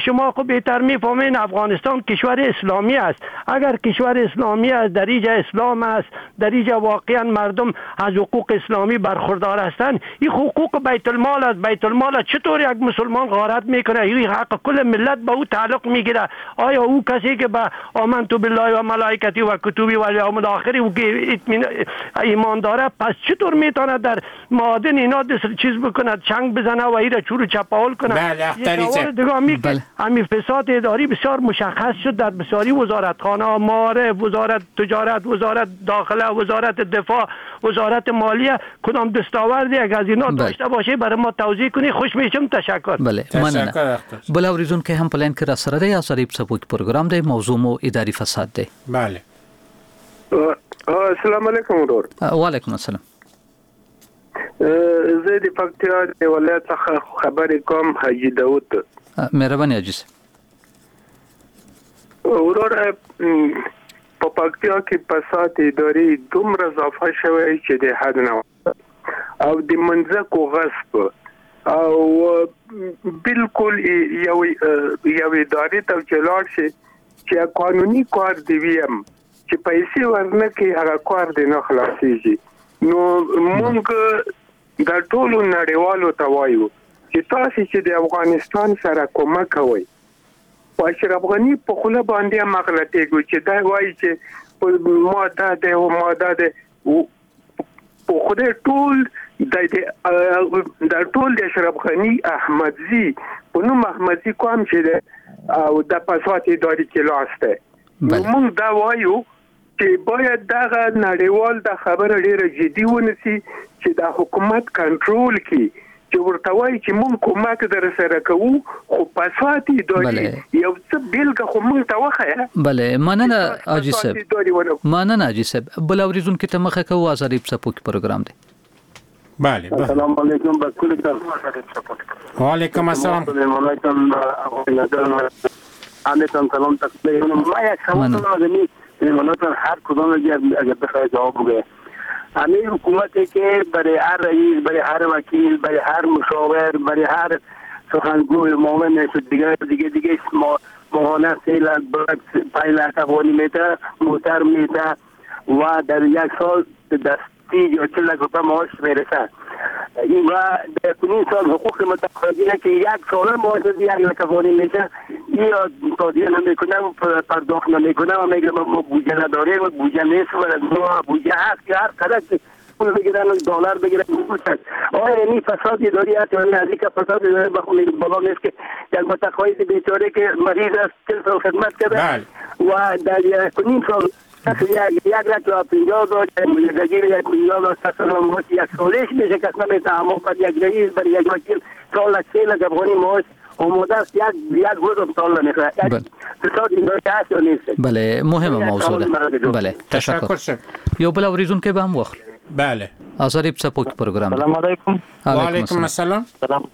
شما خب بهتر میفهمین افغانستان کشور اسلامی است. اگر کشور اسلامی است، در اینجا اسلام است، در اینجا واقعا مردم از حقوق اسلامی برخوردار هستند. این حقوق بیت المال است. بیت المال چطور یک مسلمان غارت میکنه؟ این حق کل ملت به او تعلق میگیره. آیا او کسی که به آمنت بالله و ملائکتی و کتبی و الیوم الاخر او که ایمان داره، پس چطور میتونه در معادن اینا چیز بکنه، چنگ بزنه و ایره چور چپاول کنه؟ بله اختری. همین فساد اداری بسیار مشخص شد در بسیاری وزارتخانه، معارف، وزارت تجارت، وزارت داخله، وزارت دفاع، وزارت مالیه. کدام دستاوردی اگر از اینا داشته باشه برای ما توضیح کنی خوش میشم. تشکر. بله مننه. بل اوریدونکی هم په لاین کې را سره دی. ازادي په څپو کې پروګرام دی، موضوع مو اداري فساد دی. بله السلام علیکم ورور. وعلیکم السلام. زه د پکتیا د ولایت څخه خبرې کوم، حاجي داود. مهرباني حاجي صاحب. ورور په پکتیا کې فساد اداري دومره اضافه شوی چې د حد نه او د منځکو غصب او بالکل یو ادارې ته چې لاړ شي چې قانوني کار دی ویم چې پیسې ورنه کړي هغه کار دی نه خلاصېږي. نو موږ د ټولو نړیوالو ته وایو چې تاسو چې د افغانستان سره کومک کوئ، په اشرف غني په خوله باندې هم غلطېږو چې دا وایي چې ما دا دی او ما دا دی، په خدای ټول د ټول د اشرف غني احمدزي په نوم احمدزي کوم چې دی او د فساد اداري کې لاس دی. نو موږ دا وایو چې باید دغه نړیوال دا خبره ډیره جدي ونیسي چې دا حکومت کنټرول کړي، چې ورته وایي چې موږ کومک در سره کوو خو فساد اداري یو څه بېلګه خو موږ ته وښیه. بله مننه حاجي صاحب. مننه حاجي صاحب. بل اوریدونکي ته مخه کوو. ازادي په څپو کې پروګرام دی. بله السلام علیکم. و علیکم السلام. سلام تقدیم. ما یک سوال دارم میماناتون هر کدام اگر بخوای جواب بگه. همین حکومتی که برای هر رئیس، برای هر وکیل، برای هر مشاور، برای هر سخنگوی معاون دیگه دیگه دیگه ماهانه 3 لک 5 لک افغانی میده، موتر میده و در یک سال 30 یا 40 لک روپیه معاش میرسه. این و در کنین سال حقوق متقاضینه که یک سال معاش 1 لک افغانی میشه، یا تادیه نمیکنه و پرداخت نمیکنه و میگه ما بودجه نداریم و بودجه نیست و بودجه هست که هر قدر پول بگیرن و دلار بگیرن. آیا این فساد اداری است یا نه؟ که فساد اداری بالا نیست که یک متقاضی بیچاره که مریض است 40 سال خدمت کرده و در یک سال 1,50,000 1,50,000 یک سالش میشه که اصلا میتونه بر یک رئیس، بر یک وکیل 4 لک 3 لک افغانی معاش آماده است، یک روز هم سال نمیخوره. فساد اداری هست یا نیست؟ بله مهمه موضوع ده. بله تشکر. یو بل اوریدونکی به هم واخلو. بله ازادي په څپو کې پروګرام. السلام علیکم. وعلیکم السلام. سلام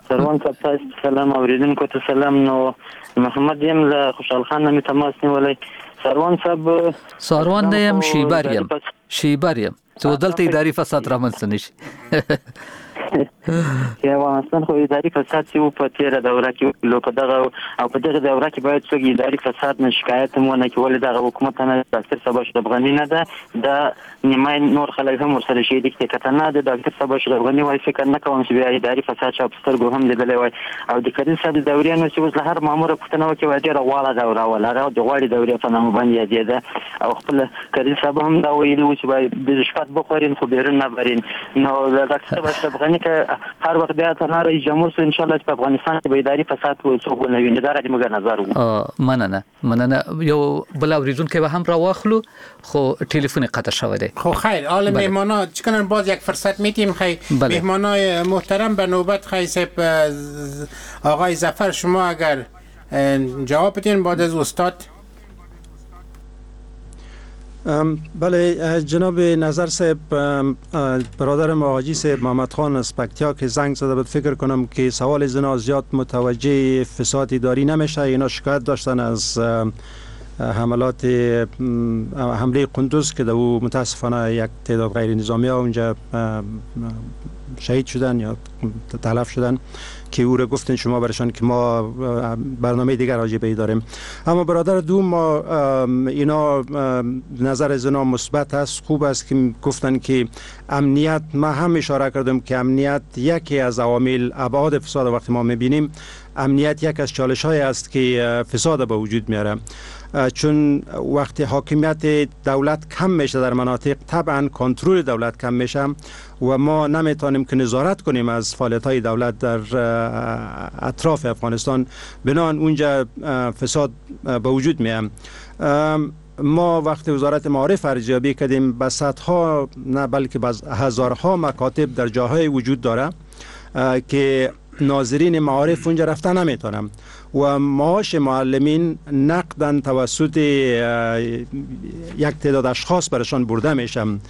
سروان صاحب تاسو سلام، اوریدونکو ته سلام. نو محمد یم له خوشحال خان نه مې تماس نیولی. سروان صاحب سروان نه یم، شیبر یم، شیبر یم چې دلته اداري فساد رامنځته نشي. چې افغانستان خو اداري فساد چې و په تېره دوره کې لو په دغه او په دغه دوره کې باید څوک اداري فساد نه شکایت هم ونه کړي، ولې دغه حکومت نه ډاکټر صاحب اشرف غني نه ده، دا نیمای نور خلک هم ورسره شریک دي. که نه د ډاکټر صاحب اشرف غني وای فکر نه کوم چې بیا اداري فساد چا په سترګو هم لیدلی وای. او د کریم صاحب د دورې نو چې اوس له هر ماموره پوښتنه وکړي وایي ډېره غواړه دوره وه، هغه د غواړې دورې په نامه باندې یادېده. او خپل کریم صاحب هم دا ویلي وو چې باید رشوت بخورین خو بیرون نه برین. نو ډاکټر صاحب اشرف غني که هر وخت بیا تنها رئیس جمهور سو ان شاء الله چې په افغانستان کې به اداري فساد څوک ونه ویني. دا زموږ نظر وو. مننه مننه. یو بل اوریدونکی به هم راواخلو خو تلفن قطع شوی دی. خو خیر حال مهمانا چکنن باز یک فرصت میتیم. خیر مهمانای محترم به نوبت خیر صاحب آقای ظفر شما اگر جواب بدین بعد از استاد. بله جناب نظر صاحب، برادرم حاجی صاحب محمد خان از پکتیا که زنگ زده بود، فکر کنم که سوال زنا زیاد متوجه فساد اداری نمیشه. اینا شکایت داشتن از حملات حمله قندوز که در او متاسفانه یک تعداد غیر نظامی ها اونجا شهید شدن یا تلف شدن که او را گفتن شما برشان که ما برنامه دیگر راجع به داریم. اما برادر دوم ما اینا نظر از اینا مثبت است، خوب است که گفتن که امنیت، ما هم اشاره کردم که امنیت یکی از عوامل ابعاد فساد وقتی ما میبینیم، امنیت یک از چالش های است که فساد به وجود میاره، چون وقتی حاکمیت دولت کم میشه در مناطق، طبعا کنترل دولت کم میشه و ما نمیتونیم که نظارت کنیم از فعالیت های دولت در اطراف افغانستان، بنان اونجا فساد به وجود میاد. ما وقتی وزارت معارف ارزیابی کردیم، به صدها نه بلکه به هزارها مکاتب در جاهای وجود داره که ناظرین معارف اونجا رفته نمیتونم و معاش معلمین نقداً توسط یک تعداد اشخاص برشان برده میشم.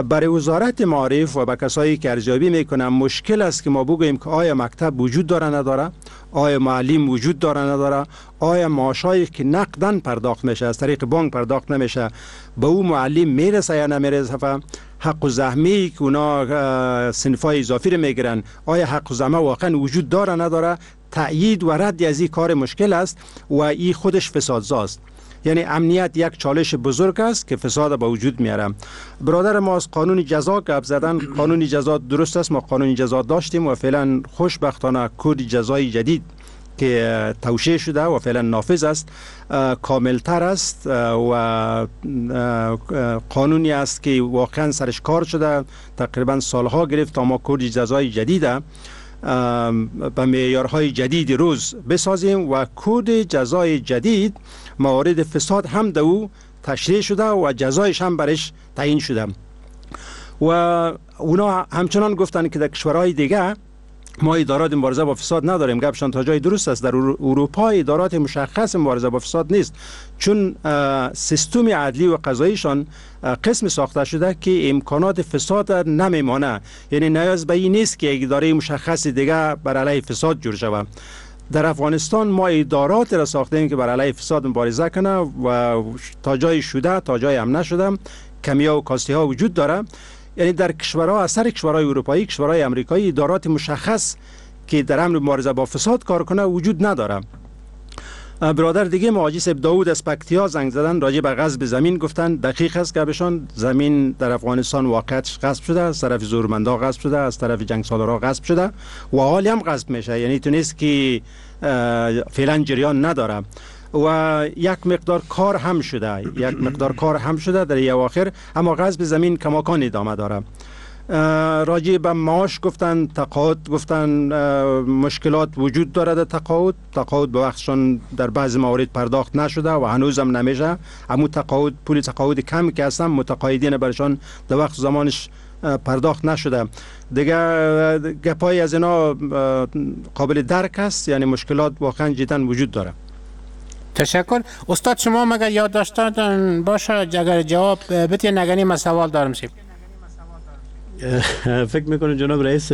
برای وزارت معارف و به کسایی که ارزیابی میکنن مشکل است که ما بگوییم که آیا مکتب وجود داره نداره، آیا معلم وجود داره نداره، آیا معاشایی که نقداً پرداخت میشه از طریق بانک پرداخت نمیشه به او معلم میرسه یا نمیرسه، حق و زحمه که اونا صنفای اضافی رو میگیرن آیا حق و زحمه واقعا وجود داره نداره، تأیید و رد از این کار مشکل است و این خودش فسادزاست. یعنی امنیت یک چالش بزرگ است که فساد به وجود میاره. برادر ما از قانون جزا گپ زدن، قانون جزا درست است، ما قانون جزا داشتیم و فعلا خوشبختانه کد جزای جدید که توشیح شده و فعلا نافذ است کاملتر است و قانونی است که واقعا سرش کار شده، تقریبا سالها گرفت تا ما کد جزای جدید به معیارهای جدید روز بسازیم و کد جزای جدید موارد فساد هم در او تشریح شده و جزایش هم برش تعیین شده. و اونا همچنان گفتن که در کشورهای دیگه ما ادارات مبارزه با فساد نداریم. گپشان تا جای درست است، در اروپا ادارات مشخص مبارزه با فساد نیست، چون سیستم عدلی و قضاییشان قسم ساخته شده که امکانات فساد نمیمانه، یعنی نیاز به این نیست که یک اداره مشخص دیگه بر علیه فساد جور شود. در افغانستان ما ادارات را ساختیم که بر علیه فساد مبارزه کنه و تا جای شده تا جای هم نشده، کمیا و کاستی ها وجود داره. یعنی در کشورها، اثر کشورهای اروپایی، کشورهای امریکایی، ادارات مشخص که در امر مبارزه با فساد کار کنه وجود نداره. برادر دیگه حاجی صاحب داوود از پکتیا زنگ زدن راجع به غصب زمین گفتن، دقیق است گپشان، زمین در افغانستان واقعیتش غصب شده، از طرف زورمندا غصب شده، از طرف جنگسالارا غصب شده و حالی هم غصب میشه، یعنی تو نیست که فعلا جریان نداره و یک مقدار کار هم شده، یک مقدار کار هم شده در اواخر، اما غصب زمین کماکان ادامه داره. راجع به معاش گفتن، تقاعد گفتن، مشکلات وجود داره در تقاعد، تقاعد به وقتشان در بعضی موارد پرداخت نشده و هنوزم نمیشه، اما تقاعد، پول تقاعد کم که هستن متقاعدین برشان در وقت زمانش پرداخت نشده. دیگه گپای از اینا قابل درک است، یعنی مشکلات واقعا جدا وجود داره. تشکر. استاد شما مگر یاد داشتن باشه اگر جواب بتین، اگر من سوال دارم سیب. فکر میکنم جناب رئیس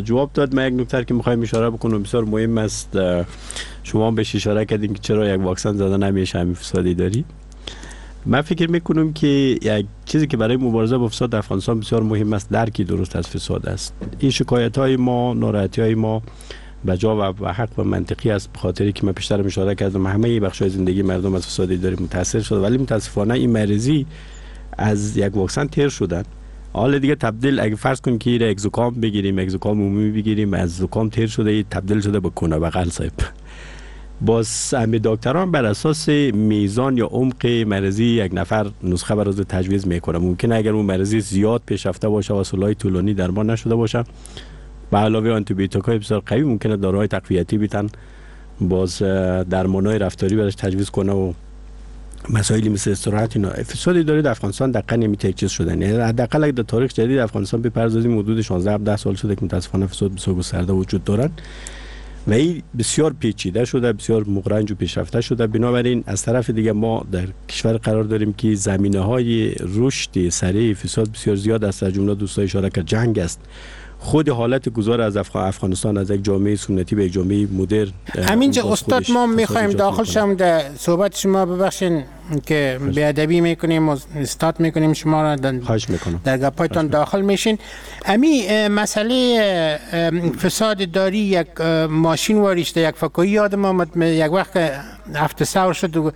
جواب داد. من یک نکته که میخوایم اشاره بکنم بسیار مهم است، شما بهش اشاره کردین که چرا یک واکسن زده نمیشه همین فسادی داری. من فکر میکنم که یک چیزی که برای مبارزه با فساد در افغانستان بسیار مهم است درکی درست از فساد است. این شکایت های ما، ناراحتی های ما بجا و حق و منطقی است، به خاطری که من پیشتر اشاره کردم همه بخش‌های زندگی مردم از فساد اداری متاثر شده، ولی متاسفانه این مریضی از یک واکسن تیر شدن. حالا دیگه تبدیل، اگه فرض کنیم که یک زکام بگیریم، یک زکام عمومی بگیریم، از زکام تیر شده تبدیل شده به کونه بغل صاحب. باز همه دکتران بر اساس میزان یا عمق مریضی یک نفر نسخه برای تجویز میکنه. ممکنه اگر اون مریضی زیاد پیشرفته باشه و سالهای طولانی درمان نشده باشه، به علاوه آنتی بیوتیک های بسیار قوی ممکنه داروهای تقویتی بیتن، باز درمانهای رفتاری براش تجویز کنه و مسائلی مثل استراحت. اینا فساد اداری در افغانستان دقیقاً نمیته یک چیز شدن، یعنی حداقل اگه در تاریخ جدید افغانستان بپردازیم حدود 16 17 سال شده که متاسفانه فساد بسیار گسترده وجود دارن و این بسیار پیچیده شده، بسیار مغرنج و پیشرفته شده. بنابراین از طرف دیگه ما در کشور قرار داریم که زمینه‌های رشد سریع فساد بسیار زیاد است، از جمله دوستای اشاره کرد جنگ است، خود حالت گذار از افغانستان از یک جامعه سنتی به یک جامعه مدرن. همینجا استاد ما میخوایم داخل شم در صحبت شما، ببخشین که بی‌ادبی میکنیم و استاد میکنیم شما را، خواهش میکنم در گپایتان داخل میشین. امی مسئله فساد داری یک ماشین واریشته، یک فکایی یادم آمد، یک وقت هفته ثور شد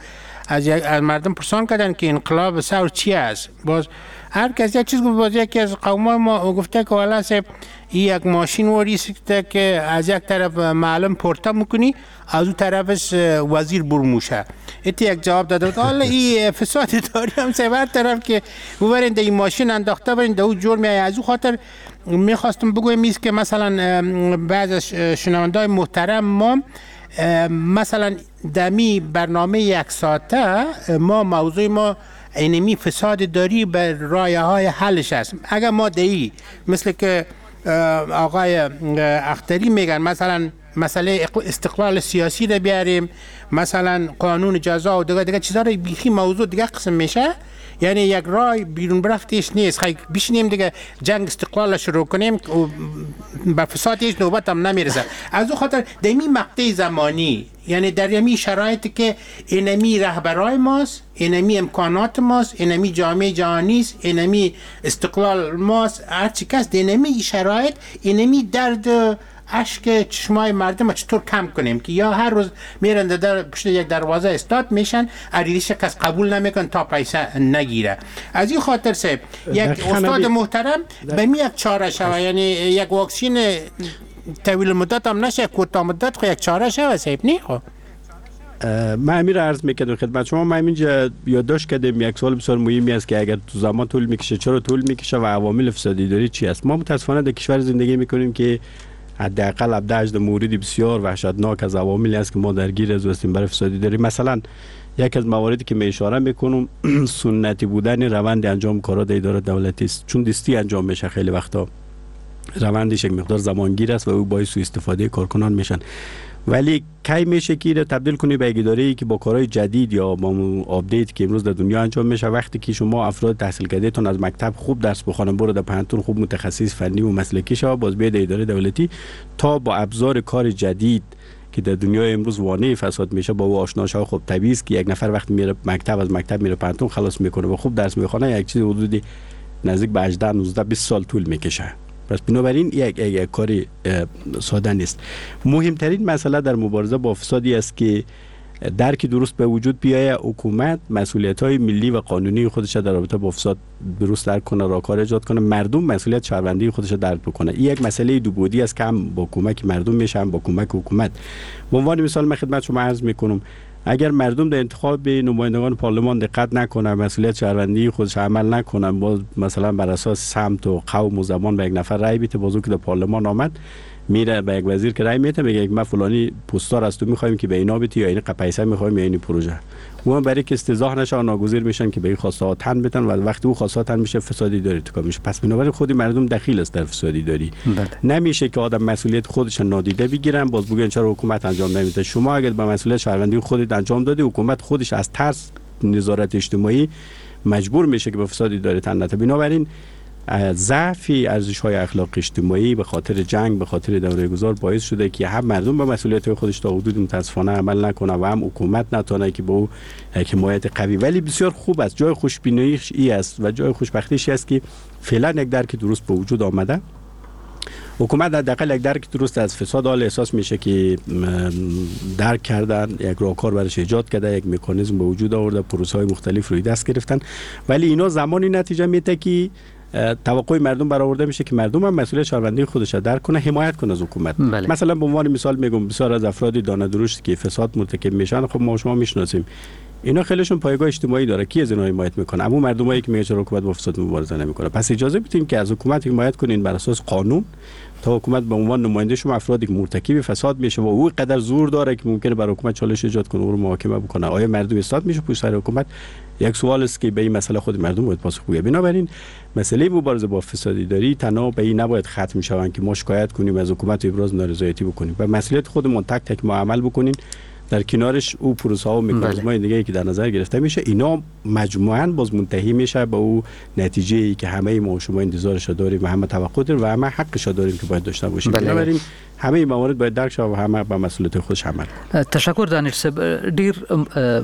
از مردم پرسان کردن که انقلاب ثور چی است. باز هر کس یک چیز گفت. باز یکی از قومای ما گفته که والا صاحب یک ماشین واریسته که از یک طرف معلم پورتا میکنی، از اون طرفش وزیر برموشه. ایتی یک جواب داده بود. حالا این فساد داری هم سه هر طرف که ببرین این ماشین انداخته برین در او جور میایه. از او خاطر میخواستم بگویم ایست که مثلا بعض از شنوندای محترم ما مثلا دمی برنامه یک ساعته ما موضوع ما اینمی فساد داری به رایه های حلش است. اگر ما دهی مثل که آقای اختری میگن مثلا مسئله استقلال سیاسی رو بیاریم، مثلا قانون جزا و دیگه چیزا رو، بیخی موضوع دیگه قسم میشه، یعنی یک رای بیرون برفتش نیست. خیلی بشینیم دیگه جنگ استقلال شروع کنیم و به فساد هیچ نوبت هم نمیرسه. از او خاطر دمی مقطع زمانی، یعنی در یمی شرایطی که اینمی رهبرای ماست، اینمی امکانات ماست، اینمی جامعه جهانی است، اینمی استقلال ماست، هر چی کس اینمی شرایط، اینمی درد اشک چشمای مردم چطور کم کنیم که یا هر روز میرن در پشت یک دروازه استاد میشن، عریضش کس قبول نمیکن تا پیسه نگیره. از این خاطر سه یک استاد محترم به می یک چاره شوه، یعنی یک واکسین طویل مدت هم نشه، کوتاه مدت خو یک چاره شوه صاحب. نه خو من امیر عرض میکردم خدمت شما، من اینجا یادداشت کردم یک سوال بسیار مهمی است که اگر تو زمان طول میکشه چرا طول میکشه و عوامل فسادی داری چی است. ما متاسفانه در کشور زندگی میکنیم که حداقل 17 موردی بسیار وحشتناک از عواملی است که ما درگیر از هستیم برای فسادی داری. مثلا یک از مواردی که می اشاره میکنم سنتی بودن روند انجام کارا در اداره دولتی است، چون دستی انجام میشه خیلی وقتا روندش یک مقدار زمانگیر است و او باعث سوء استفاده کارکنان میشن. ولی کی میشه که را تبدیل کنی به یک اداره‌ای که با کارهای جدید یا با update که امروز در دنیا انجام میشه، وقتی که شما افراد تحصیل کرده تون از مکتب خوب درس بخوانن، برو در پوهنتون خوب متخصص فنی و مسلکی شو، باز بیاد اداره دولتی تا با ابزار کار جدید که در دنیای امروز وانه فساد میشه با او آشنا شه. خب طبیعی است که یک نفر وقتی میره مکتب، از مکتب میره پوهنتون خلاص میکنه و خوب درس میخونه، یک چیز حدودی نزدیک به 18 19 20 سال طول میکشه. پس بنابراین یک کاری ساده نیست. مهمترین مسئله در مبارزه با فسادی است که درک درست به وجود بیاید، حکومت مسئولیت‌های ملی و قانونی خودش در رابطه با فساد درست درک کنه، راهکار ایجاد کنه، مردم مسئولیت شهروندی خودش درک بکنه. این یک مسئله دو بعدی است که هم با کمک مردم میشه هم با کمک حکومت. به عنوان مثال من خدمت شما عرض میکنم اگر مردم در انتخاب نمایندگان پارلمان دقت نکنن، مسئولیت شهروندی خودش عمل نکنن، باز مثلا بر اساس سمت و قوم و زبان به یک نفر رأی بده، باز که در پارلمان آمد میره به یک وزیر که رأی میده میگه ما فلانی پستار از تو میخوایم که به اینا بدی یا این پیسه میخوایم یا این پروژه، اون برای که استیضاح نشه و ناگزیر میشن که به این خواسته ها تن بدن و وقتی او خواسته ها تن میشه فسادی داری تو کار میشه. پس بنابراین خود مردم دخیل است در فسادی داری. بله. نمیشه که آدم مسئولیت خودش نادیده بگیرن باز بگن چرا حکومت انجام نمیده. شما اگر به مسئولیت شهروندی خودت انجام دادی، حکومت خودش از ترس نظارت اجتماعی مجبور میشه که به فسادی داری تن نده. بنابراین ضعف ارزش‌های اخلاقی اجتماعی به خاطر جنگ، به خاطر دوره گذار باعث شده که هم مردم به مسئولیت خودش تا حدود متاسفانه عمل نکنه و هم حکومت نتونه که با او حمایت قوی. ولی بسیار خوب است، جای خوشبینیش ای است و جای خوشبختیش است که فعلا یک درک درست به وجود آمده. حکومت حداقل یک درک درست از فساد حال احساس میشه که درک کردن، یک راهکار برش ایجاد کرده، یک مکانیزم به وجود آورده، پروسه‌های مختلف روی دست گرفتن. ولی اینا زمانی نتیجه میده که توقع مردم برآورده میشه که مردم هم مسئولیت شهروندی خودش را درک کنه، حمایت کنه از حکومت. بله. مثلا به عنوان مثال میگم بسیار از افراد دانه درشت که فساد مرتکب میشن، خب ما شما میشناسیم، اینا خیلیشون پایگاه اجتماعی داره، کی از اینا حمایت میکنه؟ اما مردمایی که میگن چرا حکومت با فساد مبارزه نمیکنه. پس اجازه بدیم که از حکومت حمایت کنین بر اساس قانون، تا حکومت به عنوان نماینده شما افرادی که مرتکب فساد میشه و او قدر زور داره که ممکنه بر حکومت چالش ایجاد کنه، او رو محاکمه بکنه. آیا مردم استاد میشه پشت سر حکومت؟ یک سوال است که به این مسئله خود مردم باید پاسخ بگه. بنابراین مسئله مبارزه با فساد اداری تنها به این نباید ختم شوند که ما شکایت کنیم از حکومت و ابراز نارضایتی بکنیم و مسئولیت خودمون تک تک ما عمل بکنیم. در کنارش او پروسه ها و مکانیزم‌های دیگه که در نظر گرفته میشه، اینا مجموعاً باز منتهی میشه به او نتیجه ای که همه ما و شما انتظارش داریم و همه توقع داریم و همه حقش داریم که باید داشته باشیم. بنابراین همه این موارد باید درک شود و همه به مسئولیت خودش عمل کنه. تشکر دانش صاحب، ډیر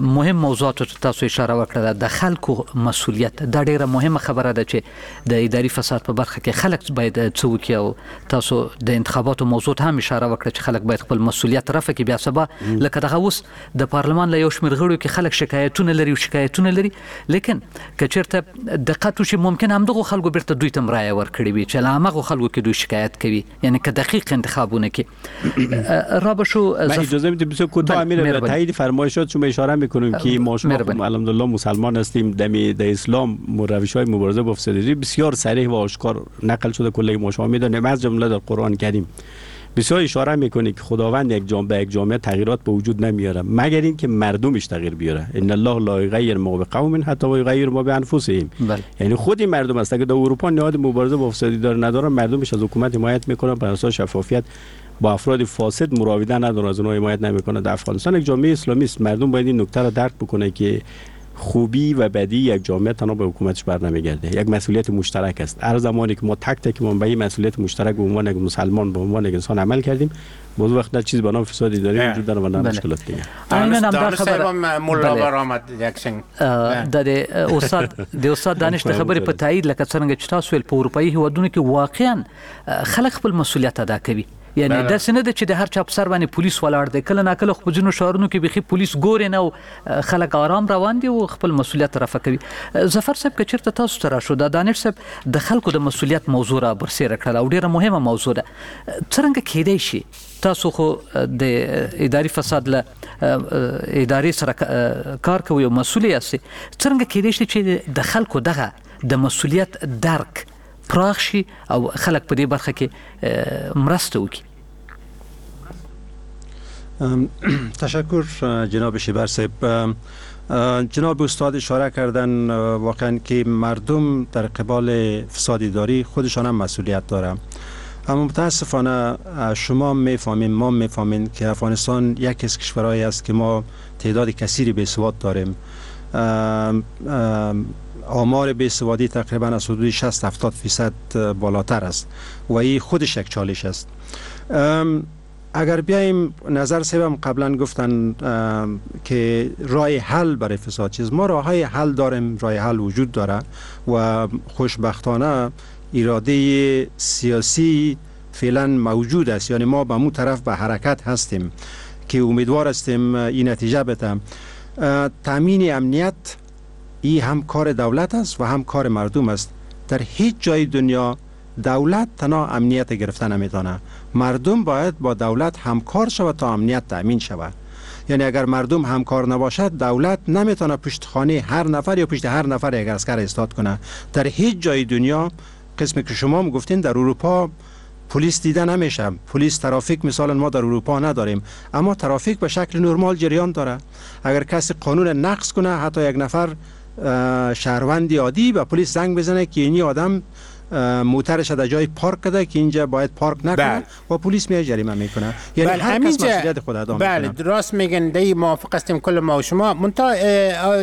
مهم موضوعاتو ته تاسو اشاره وکړه. د خلکو مسئولیت دا ډیره مهمه خبره ده چې د اداري فساد په برخه کې خلک باید څه وکړي، او تاسو د انتخاباتو موضوع ته هم اشاره وکړه چې خلک باید خپل مسئولیت رفع کړي. بیا سبا لکه دغه اوس د پارلمان له یو شمېر غړو کې خلک شکایتونه لري او شکایتونه لري، لیکن که چېرته دقت وشي ممکن همدغو خلکو بیرته دوی ته هم رایه ورکړې وي چې له هماغو خلکو کې دوی شکایت کوي، یعنی که دقیق انتخابونه کې را به شو. من اجازه میدم بسیار کوتاه امیر به تایید فرمایشات شما اشاره میکنم که ما شما الحمدلله مسلمان هستیم، در اسلام روش‌های مبارزه با فساد بسیار صریح و آشکار نقل شده، کلی ما شما میدونیم، از جمله در قرآن کریم بسیار اشاره میکنه که خداوند یک جامعه یک جامعه تغییرات به وجود نمیاره مگر اینکه مردمش تغییر بیاره. ان الله لا یغیر ما بقوم حتی یغیر ما بانفسهم. یعنی خود این مردم است که در اروپا نهاد مبارزه با فساد داره نداره، مردمش از حکومت حمایت میکنن بر اساس شفافیت، با افراد فاسد مراوده نداره، از اونها حمایت نمیکنه. در افغانستان یک جامعه اسلامی است، مردم باید این نکته را درک بکنه که خوبی و بدی یک جامعه تنها به حکومتش بر نمیگرده، یک مسئولیت مشترک است. هر زمانی که ما تک تک ما به این مسئولیت مشترک به عنوان یک مسلمان به عنوان یک انسان عمل کردیم، باز وقت نه چیز به نام فساد اداری وجود داره و نه مشکلات دیگه. عیناً هم خبر مولا برآمد یک څنګه د استاد د استاد دانش د خبرې په تایید لکه څنګه چې تاسو ویل په اروپایي هیوادونو کې واقعا خلک خپل مسئولیت ادا کوي، یعنی داسې نه ده چې د هر چا په سر باندې پولیس ولاړ دی. کله ناکله خو په ځینو ښارونو کې بیخي پولیس ګوري نه او خلک آرام روان دي او خپل مسئولیت رفع کوي. ظفر صاحب که چېرته تاسو ته راشو، دا دانش صاحب د خلکو د مسئولیت موضوع را برسېره کړله او ډېره مهمه موضوع ده، څرنګه کېدای شي تاسو خو د اداري فساد له ادارې سره کار کوئ او مسؤل یاست، څرنګه کېدای شي چې د خلکو دغه د مسئولیت درک پراخ شي او خلک په دې برخه کې مرسته وکړي؟ تشکر جناب شیبر صاحب. جناب استاد اشاره کردن واقعا که مردم در قبال فساد اداری خودشان هم مسئولیت داره، اما متاسفانه شما میفهمین ما میفهمین که افغانستان یکی از کشورهایی است که ما تعداد کثیری بیسواد داریم. آمار بیسوادی تقریبا از حدود 60-70% بالاتر است و این خودش یک چالش است. اگر بیایم نظر صاحبم قبلا گفتن که راه حل برای فساد چیز، ما راه های حل داریم، راه حل وجود داره و خوشبختانه اراده سیاسی فعلا موجود است، یعنی ما به مو طرف به حرکت هستیم که امیدوار هستیم این نتیجه بده. تامین امنیت ای هم کار دولت است و هم کار مردم است. در هیچ جای دنیا دولت تنها امنیت گرفته نمیتونه، مردم باید با دولت همکار شود تا امنیت تامین شود. یعنی اگر مردم همکار نباشد دولت نمیتونه پشت خانه هر نفر یا پشت هر نفر یک عسکر ایستاد کنه. در هیچ جای دنیا قسمی که شما هم گفتین در اروپا پلیس دیده نمیشه، پلیس ترافیک مثلا ما در اروپا نداریم، اما ترافیک به شکل نرمال جریان داره. اگر کسی قانون نقض کنه، حتی یک نفر شهروند عادی به پلیس زنگ بزنه که اینی آدم موترش در جای پارک کرده که اینجا باید پارک نکنه و پلیس میاد جریمه میکنه. یعنی هر کس مسئولیت خود ادا میکنه. بله درست میگن، دی موافق هستیم کل ما و شما. منتها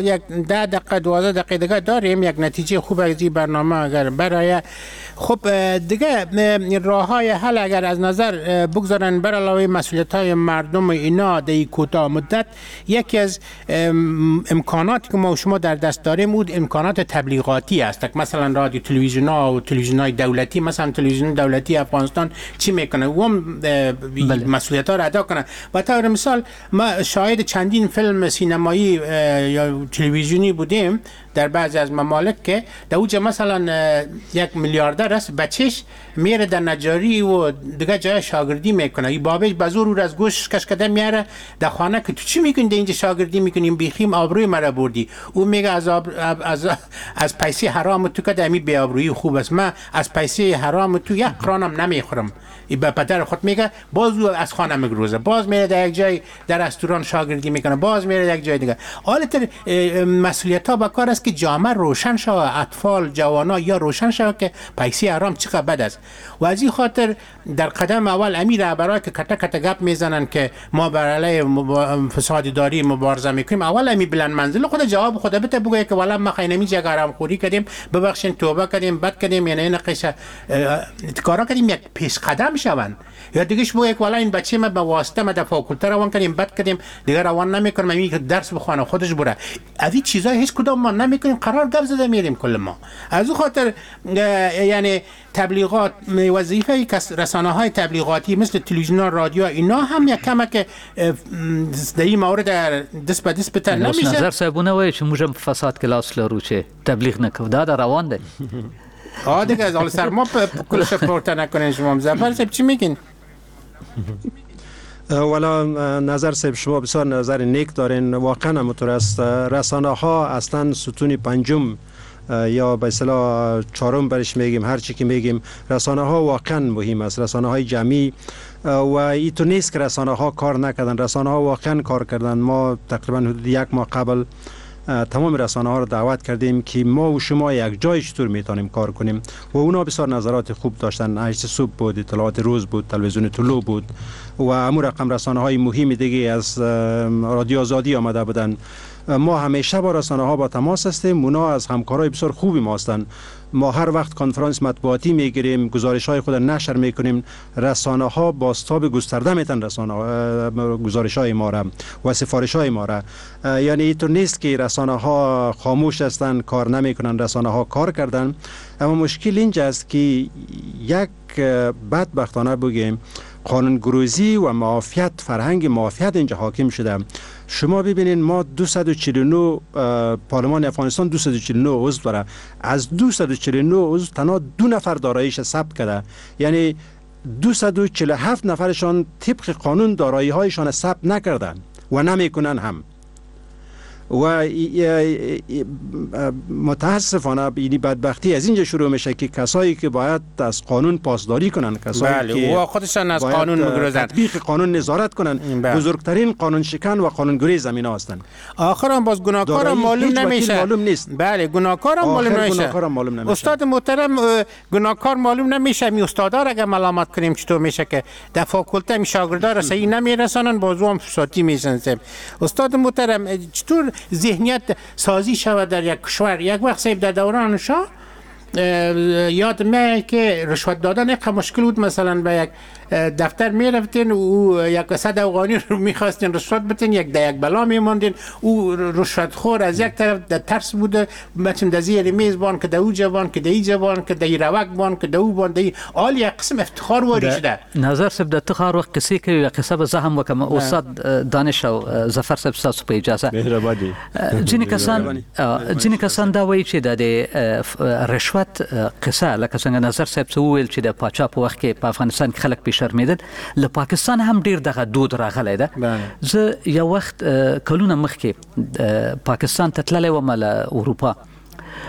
یک 10 دقیقه 12 دقیقه دیگه داریم، یک نتیجه خوب از این برنامه اگر برای خب دیگه راه های حل اگر از نظر بگذارن بر علاوه مسئولیت های مردم اینا در کوتاه مدت، یکی از امکاناتی که ما و شما در دست داریم بود امکانات تبلیغاتی است. مثلا رادیو تلویزیون ها و تلویزیون های دولتی، مثلا تلویزیون دولتی افغانستان چی میکنه و مسئولیت ها را ادا کنه. و طور مثال ما شاهد چندین فیلم سینمایی یا تلویزیونی بودیم در بعضی از ممالک که در اوج مثلا یک میلیاردر است، بچهش میره در نجاری و دیگه جای شاگردی میکنه، این بابش به زور او از گوش کش کده میاره در خانه که تو چی میکنی اینجا شاگردی میکنیم، بیخیم آبروی مرا بردی. او میگه از از از پیسه حرام تو که امی بی آبرویی خوب است، من از پیسه حرام تو یک قرانم نمیخورم. ای به پدر خود میگه، باز او از خانه میگروزه، باز میره در یک جای در رستوران شاگردی میکنه، باز میره در یک جای دیگه. حالت مسئولیت ها با کار است که جامعه روشن شود، اطفال، جوانا یا روشن شود که پیسه حرام چقدر بد است. و از این خاطر در قدم اول امیر رهبرای که کته کته گپ میزنن که ما بر علیه فساد اداری مبارزه میکنیم، اول امی بلند منزل خود جواب خود بده، بگه که والا ما خینمی جگ حرام خوری کردیم، ببخشین، توبه کردیم، بد کردیم، یعنی این قصه کارا کردیم، یک پیش قدم شوند. یا دیگهش بگه که والا این بچه ما به واسطه ما در فاکولته روان کردیم، بد کردیم، دیگه روان نمیکنم، می که درس بخونه خودش بره. از این چیزای هیچ کدام ما نمیکنیم، قرار گپ زده میریم کل ما. از او خاطر یعنی تبلیغات، وظیفه رسانه های تبلیغاتی مثل تلویزیون، رادیو، اینا هم یک کمک در این مورد دست به دست بتر نمیشه. نظر صاحبونه وایي چې موږ هم فساد کې لاس لرو چې تبلیغ نه کوو، دا د روان دی. دیگه از حال سر ما کلش پورته نکنین. شما ظفر صاحب چی میگین؟ والا نظر صاحب شما بسیار نظر نیک دارین، واقعا همونطور است. رسانه ها اصلا ستون پنجم یا به اصطلاح چهارم برش میگیم، هر چی که میگیم، رسانه ها واقعا مهم است، رسانه های جمعی. و این تو نیست که رسانه ها کار نکردن، رسانه ها واقعا کار کردن. ما تقریبا حدود یک ماه قبل تمام رسانه ها رو دعوت کردیم که ما و شما یک جای چطور میتونیم کار کنیم و اونا بسیار نظرات خوب داشتن. 8 صبح بود، اطلاعات روز بود، تلویزیون طلوع بود و امو رقم رسانه های مهم دیگه از رادیو آزادی آمده بودن. ما همیشه با رسانه ها با تماس هستیم، اونا از همکارای بسیار خوبی ما هستند. ما هر وقت کنفرانس مطبوعاتی میگیریم، گزارش های خود نشر میکنیم، رسانه ها بازتاب گسترده میتن رسانه گزارش های ما را و سفارش های ما را. یعنی اینطور نیست که رسانه ها خاموش هستند، کار نمیکنن، رسانه ها کار کردن. اما مشکل اینجا است که یک بدبختانه بگیم قانونگریزی و معافیت، فرهنگ معافیت اینجا حاکم شده. شما ببینین ما 249 پارلمان افغانستان 249 عضو داره، از 249 عضو تنها 2 نفر داراییش ثبت کرده، یعنی 247 نفرشان طبق قانون دارایی هایشان ثبت نکردن و نمیکنن هم. و متاسفانه این بدبختی از اینجا شروع میشه که کسایی که باید از قانون پاسداری کنن، کسایی بله، که و خودشان از قانون میگریزن، تطبیق قانون نظارت کنن، بزرگترین قانون شکن و قانون گریز زمین هستند. آخرام باز گناهکارم معلوم نمیشه. معلوم نیست. بله گناهکارم معلوم نمیشه. استاد محترم گناهکار معلوم نمیشه. می استادا را اگه ملامت کنیم چطور میشه که در فاکولته می شاگردا را صحیح نمیرسانن، بازو هم فسادی میشن. استاد محترم چطور ذهنیت سازی شود در یک کشور؟ یک وقت صاحب در دوران شاه یاد میاد که رشوت دادن یک مشکل بود. مثلا به یک دفتر میرفتین و یک 100 افغانی رو میخواستین رشوت بتین، یک ده یک بلا میماندین. او رشوت خور از یک طرف در ترس بوده، مثلا در زیر میز بان که در او جوان که در ای جوان که در روک بان که در او بان در آل یک قسم افتخار واری شده. نظر صاحب د تخار وخت قصې کوي، قصه به زه هم وکم. استاد دانش او ظفر صاحب ستاسو په اجازه. مهرباني. ځینې کسان دا وایي چې د رشوت قصه لکه څنګه نظر صاحب څه وویل چې د پاچا په وخت کې په افغانستان کې خلک پې شرمېدل، له پاکستان هم ډیر دغه دود راغلی ده. زه یو وخت کلونه مخکې پاکستان ته تللی وم له اروپا،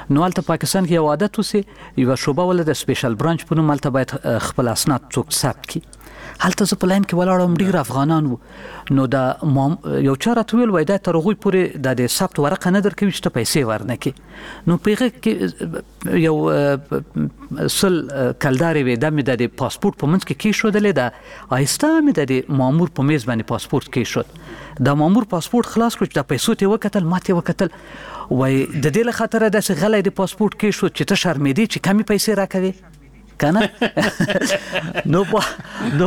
نو هلته پاکستان کې یو عادت و چې یوه شعبه وله د سپیشل برانچ په نوم، هلته باید خپل اسناد څوک ثبت کړي. هلته زه په لاین کې ولاړ وم، ډېر افغانان وو. نو دا یو چا راته وویل وایي دا تر هغوی پورې دا د ثبت ورقه نه درکوي چې ته پیسې ورنه کړې. نو په هغه کې یو 100 کلدارې وې، دا مې د دې پاسپورټ په منځ کې کېښودلې، دا آهسته مې د دې مامور په میز باندې پاسپورټ کېښود. دا مامور پاسپورټ خلاص کړ، چې دا پیسو ته یې وکتل، ما ته یې وکتل، وایي د دې له خاطره داسې غلی د پاسپورټ کېښود چې ته شرمېدې چې کمې پیسې راکوې کنه. نو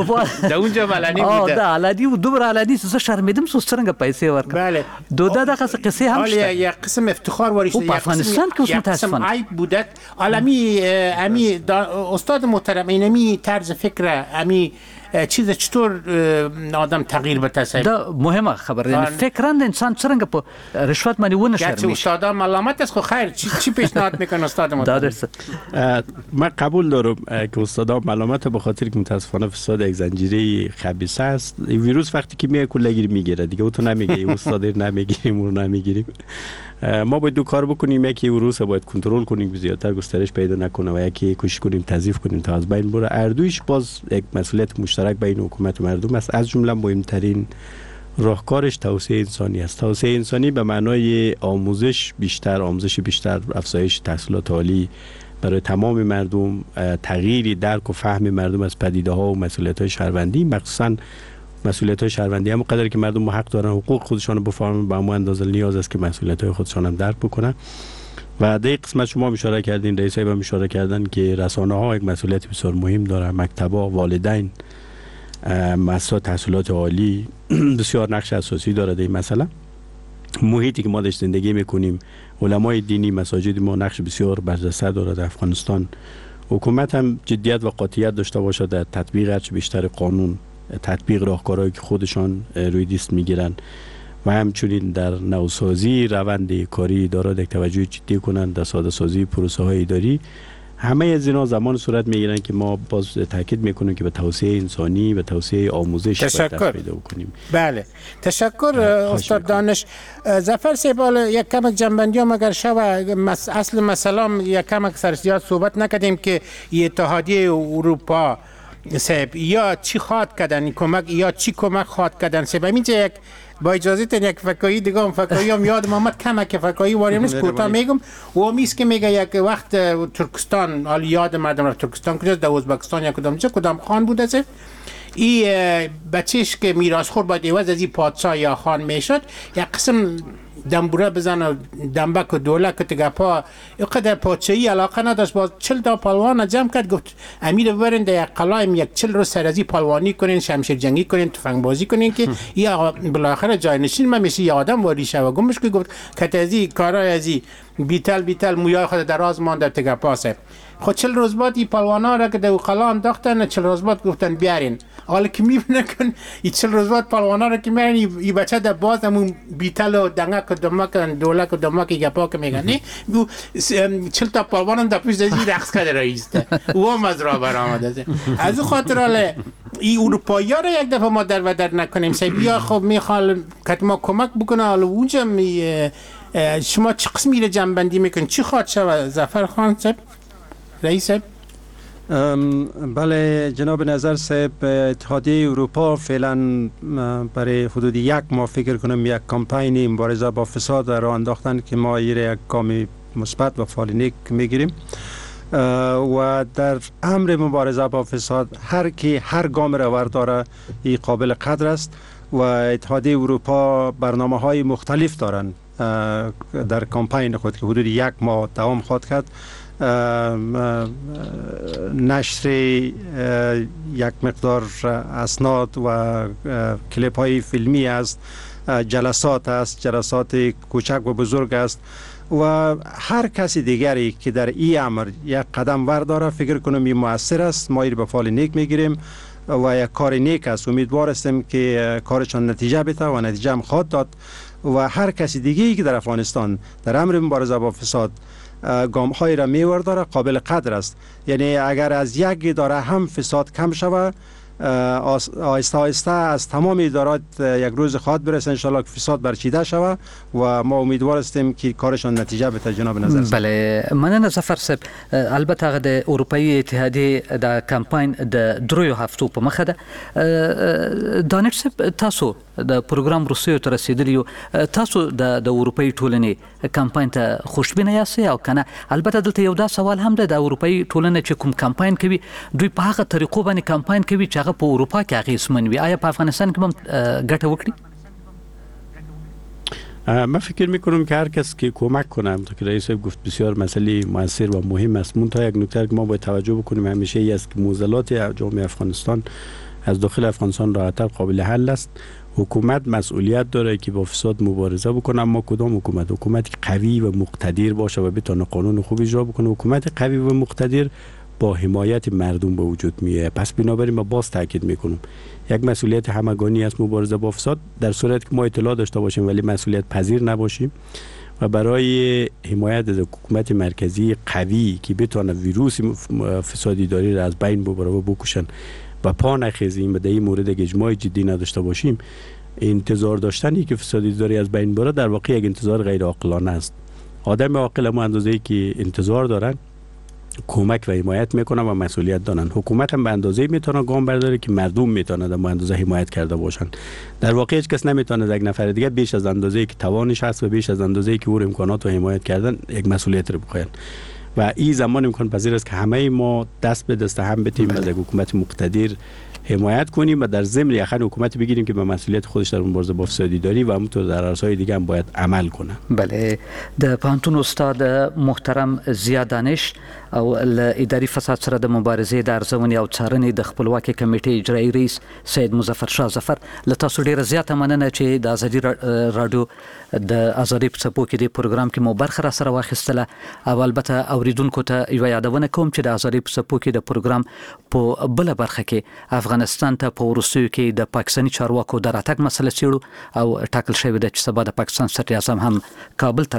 با دا اونجا علنی بوده. دا علنی و دومره علنی چې زه شرمېدم څو څرنګه پیسې ورکړم. بله دا دغه قصې هم شته. یک قسم افتخار واری شده، په افغانستان کې اوس متاسفانه عیب بوده. عالمی امی استاد محترم اینمی طرز فکر امی چیز چطور آدم تغییر بته؟ دا مهمه خبره، یعنی فکراً انسان څرنګه په رشوت باندې ونه شرمېږي. گرچه استادا ملامت است، خو خیر چی پیشنهاد میکنه استاد محترم؟ من قبول دارم که استادا ملامت به خاطر که متاسفانه فساد یک زنجیره خبیثه است. ویروس وقتی که میاد کلگیر میگیره دیگه، او تو نمیگه استاد نمیگیریم اون نمیگیریم. ما باید دو کار بکنیم، یکی ویروس باید کنترل کنیم زیادتر گسترش پیدا نکنه و یکی کوشش کنیم تضعیف کنیم تا از بین بره. اردویش باز یک مسئولیت مشترک بین حکومت و مردم است. از جمله مهمترین راهکارش توسعه انسانی است. توسعه انسانی به معنای آموزش بیشتر، آموزش بیشتر، افزایش تحصیلات عالی برای تمام مردم، تغییر درک و فهم مردم از پدیده ها و مسئولیت های شهروندی، مخصوصا مسئولیت های شهروندی هم قدری که مردم حق دارن حقوق خودشان رو بفهمن، به همون اندازه نیاز است که مسئولیت های خودشان هم درک بکنن. و در قسمت شما اشاره کردین، رئیس صاحب هم اشاره کردن که رسانه ها یک مسئولیت بسیار مهم دارن، مکتب‌ها، والدین، مؤسسات تحصیلات عالی بسیار نقش اساسی داره در این مسئله. محیطی که ما درش زندگی میکنیم، علمای دینی، مساجد ما نقش بسیار برجسته داره در افغانستان. حکومت هم جدیت و قاطعیت داشته باشد در تطبیق هرچه بیشتر قانون، تطبیق راهکارهایی که خودشان روی دست میگیرن و همچنین در نوسازی روند کاری ادارات یک توجه جدی کنند، در ساده سازی پروسه های اداری. همه از اینا زمان صورت میگیرن که ما باز تاکید میکنیم که به توسعه انسانی، به توسعه آموزش باید دست پیدا بکنیم. بله، تشکر استاد دانش. ظفر صاحب، یک کم جنبندی هم اگر شوه، اصل مسئله یک کم سر زیاد صحبت نکردیم که اتحادیه اروپا صاحب یا چی خواد کردن کمک، یا چی کمک خواد کردن صاحب. اینجا یک با اجازه تن یک فکایی دیگه هم فکایی هم یادم آمد، کمک فکایی واریم نیست، کوتاه میگم. و امیست که میگه یک وقت ترکستان، حالا یاد مردم رفت ترکستان کجاست، در ازبکستان یا کدام جا کدام خان بوده است، این بچهش که میراث خور باید عوض از این پادشاه یا خان میشد، یک قسم دنبوره بزن و دنبک و دولک و تگپا، اینقدر پادشاهی علاقه نداشت. باز 40 تا پهلوان جمع کرد، گفت امیر ببرین در یک قلایم یک 40 روز سر ازی پهلوانی کنین، شمشیر جنگی کنین، تفنگ بازی کنین که یا بالاخره جاینشین من میشه یه آدم واری شه. و گمش که گفت که ازی کارای ازی بیتل بیتل مویای خود دراز مانده تگپا سه. خب 40 روز بعد این پهلوانا را که در قلا انداختن، 40 روز بعد گفتن بیارین. حالا که میبینه کن این 40 روز بعد پهلوانا را که میارین، این بچه در باز همون بیتل و دنگک و دمک و دولک و دمک گپا که میگن، نه 40 تا پهلوان در پیش از این رقص کرده رئیسته، او هم از راه برآمده. از او خاطر حالا این اروپایی را یک دفعه ما در و در نکنیم بیا خب میخوال که ما کمک بکنه. حالا اونجا شما چه قسمی را جنبندی میکنین، چی خواهد شود ظفر خان صاحب رئیس صاحب؟ بله جناب نظر صاحب، اتحادیه اروپا فعلا برای حدود یک ماه فکر کنم یک کمپین مبارزه با فساد را انداختن که ما یک گام مثبت و فعال نیک میگیریم و در امر مبارزه با فساد هر کی هر گام را ورداره ای قابل قدر است و اتحادیه اروپا برنامه های مختلف دارند در کمپین خود که حدود یک ماه دوام خواهد کرد. نشر یک مقدار اسناد و کلیپ های فیلمی است، جلسات است، جلسات کوچک و بزرگ است و هر کسی دیگری که در این امر یک قدم ورداره فکر کنم این مؤثر است. ما این به فال نیک میگیریم و یک کار نیک است. امیدوار هستیم که کارشان نتیجه بده و نتیجه هم خواهد داد و هر کسی دیگری که در افغانستان در امر مبارزه با فساد گام های را میورداره قابل قدر است. یعنی اگر از یک اداره هم فساد کم شود، آهسته آهسته از تمام ادارات یک روز خواهد برسه انشالله که فساد برچیده شود و ما امیدوار هستیم که کارشان نتیجه بده. جناب نظر بله، مننه ظفر صاحب. البته هغه د اروپایي اتحادیې د کمپاین د دریو هفتو په مخه ده. دانش صاحب، تاسو د پروګرام وروستیو ته رسېدلي یو، تاسو د اروپایي ټولنې کمپاین ته خوشبینه یاست او کنه؟ البته دلته یو دا سوال هم ده، د اروپایي ټولنې چې کوم کمپاین کوي دوی په هغه طریقو باندې کمپاین کوي چې هغه په اروپا کې اغېزمن وي، آیا په افغانستان کې به هم ګټه وکړي؟ من فکر میکنم که هر کس که کمک کنه، همونطور که رئیس صاحب گفت بسیار مسئله موثر و مهم است. منتها یک نکته که ما باید توجه بکنیم همیشه ای است که معضلات جامعه افغانستان از داخل افغانستان راحت‌تر قابل حل است. حکومت مسئولیت داره که با فساد مبارزه بکنه، اما کدام حکومت؟ حکومت قوی و مقتدر باشه و بتونه قانون خوب اجرا بکنه. حکومت قوی و مقتدر با حمایت مردم به وجود میاد. پس بنابراین ما باز تاکید میکنم یک مسئولیت همگانی است مبارزه با فساد، در صورتی که ما اطلاع داشته باشیم ولی مسئولیت پذیر نباشیم و برای حمایت از حکومت مرکزی قوی که بتونه ویروس فسادی داری را از بین ببره و بکشن و پا نخیزیم و در این مورد اجماع جدی نداشته باشیم، انتظار داشتن که فسادی داری از بین بره در واقع یک انتظار غیر عاقلانه است. آدم عاقل ما اندازه‌ای که انتظار دارن کمک و حمایت میکنن و مسئولیت دارن. حکومت هم به اندازه میتونه گام برداره که مردم میتونه در اندازه حمایت کرده باشن. در واقع هیچ کس نمیتونه یک نفر دیگه بیش از اندازه که توانش هست و بیش از اندازه که او امکانات و حمایت کردن یک مسئولیت رو بخواین. و این زمان امکان پذیر است که همه ما دست به دست هم بتیم و یک حکومت مقتدر حمایت کنیم و در ضمن یخن حکومت بگیریم که به مسئولیت خودش در مبارزه با فساد اداری و همونطور در عرصه‌های دیگه هم باید عمل کنه. بله، د پوهنتون استاد محترم ضیا دانش او له اداري فساد سره د مبارزې د ارزونې او څارنې د خپلواکې کمېټې اجرایي رئیس سید مظفر شاه ظفر، له تاسو ډیره زیاته مننه چې د ازادي راډیو د ازادۍ په څپو کې دې پروګرام کې مو برخه را سره واخیستله. او البته اوریدونکو ته یوه یادونه کوم چې د ازادۍ په څپو کې د پروګرام په بله برخه کې افغانستان ته په وروستیو کې د پاکستاني چارواکو د راتګ مسله څېړو او ټاکل شوې ده چې سبا د پاکستان صدراعظم هم کابل ته راشي.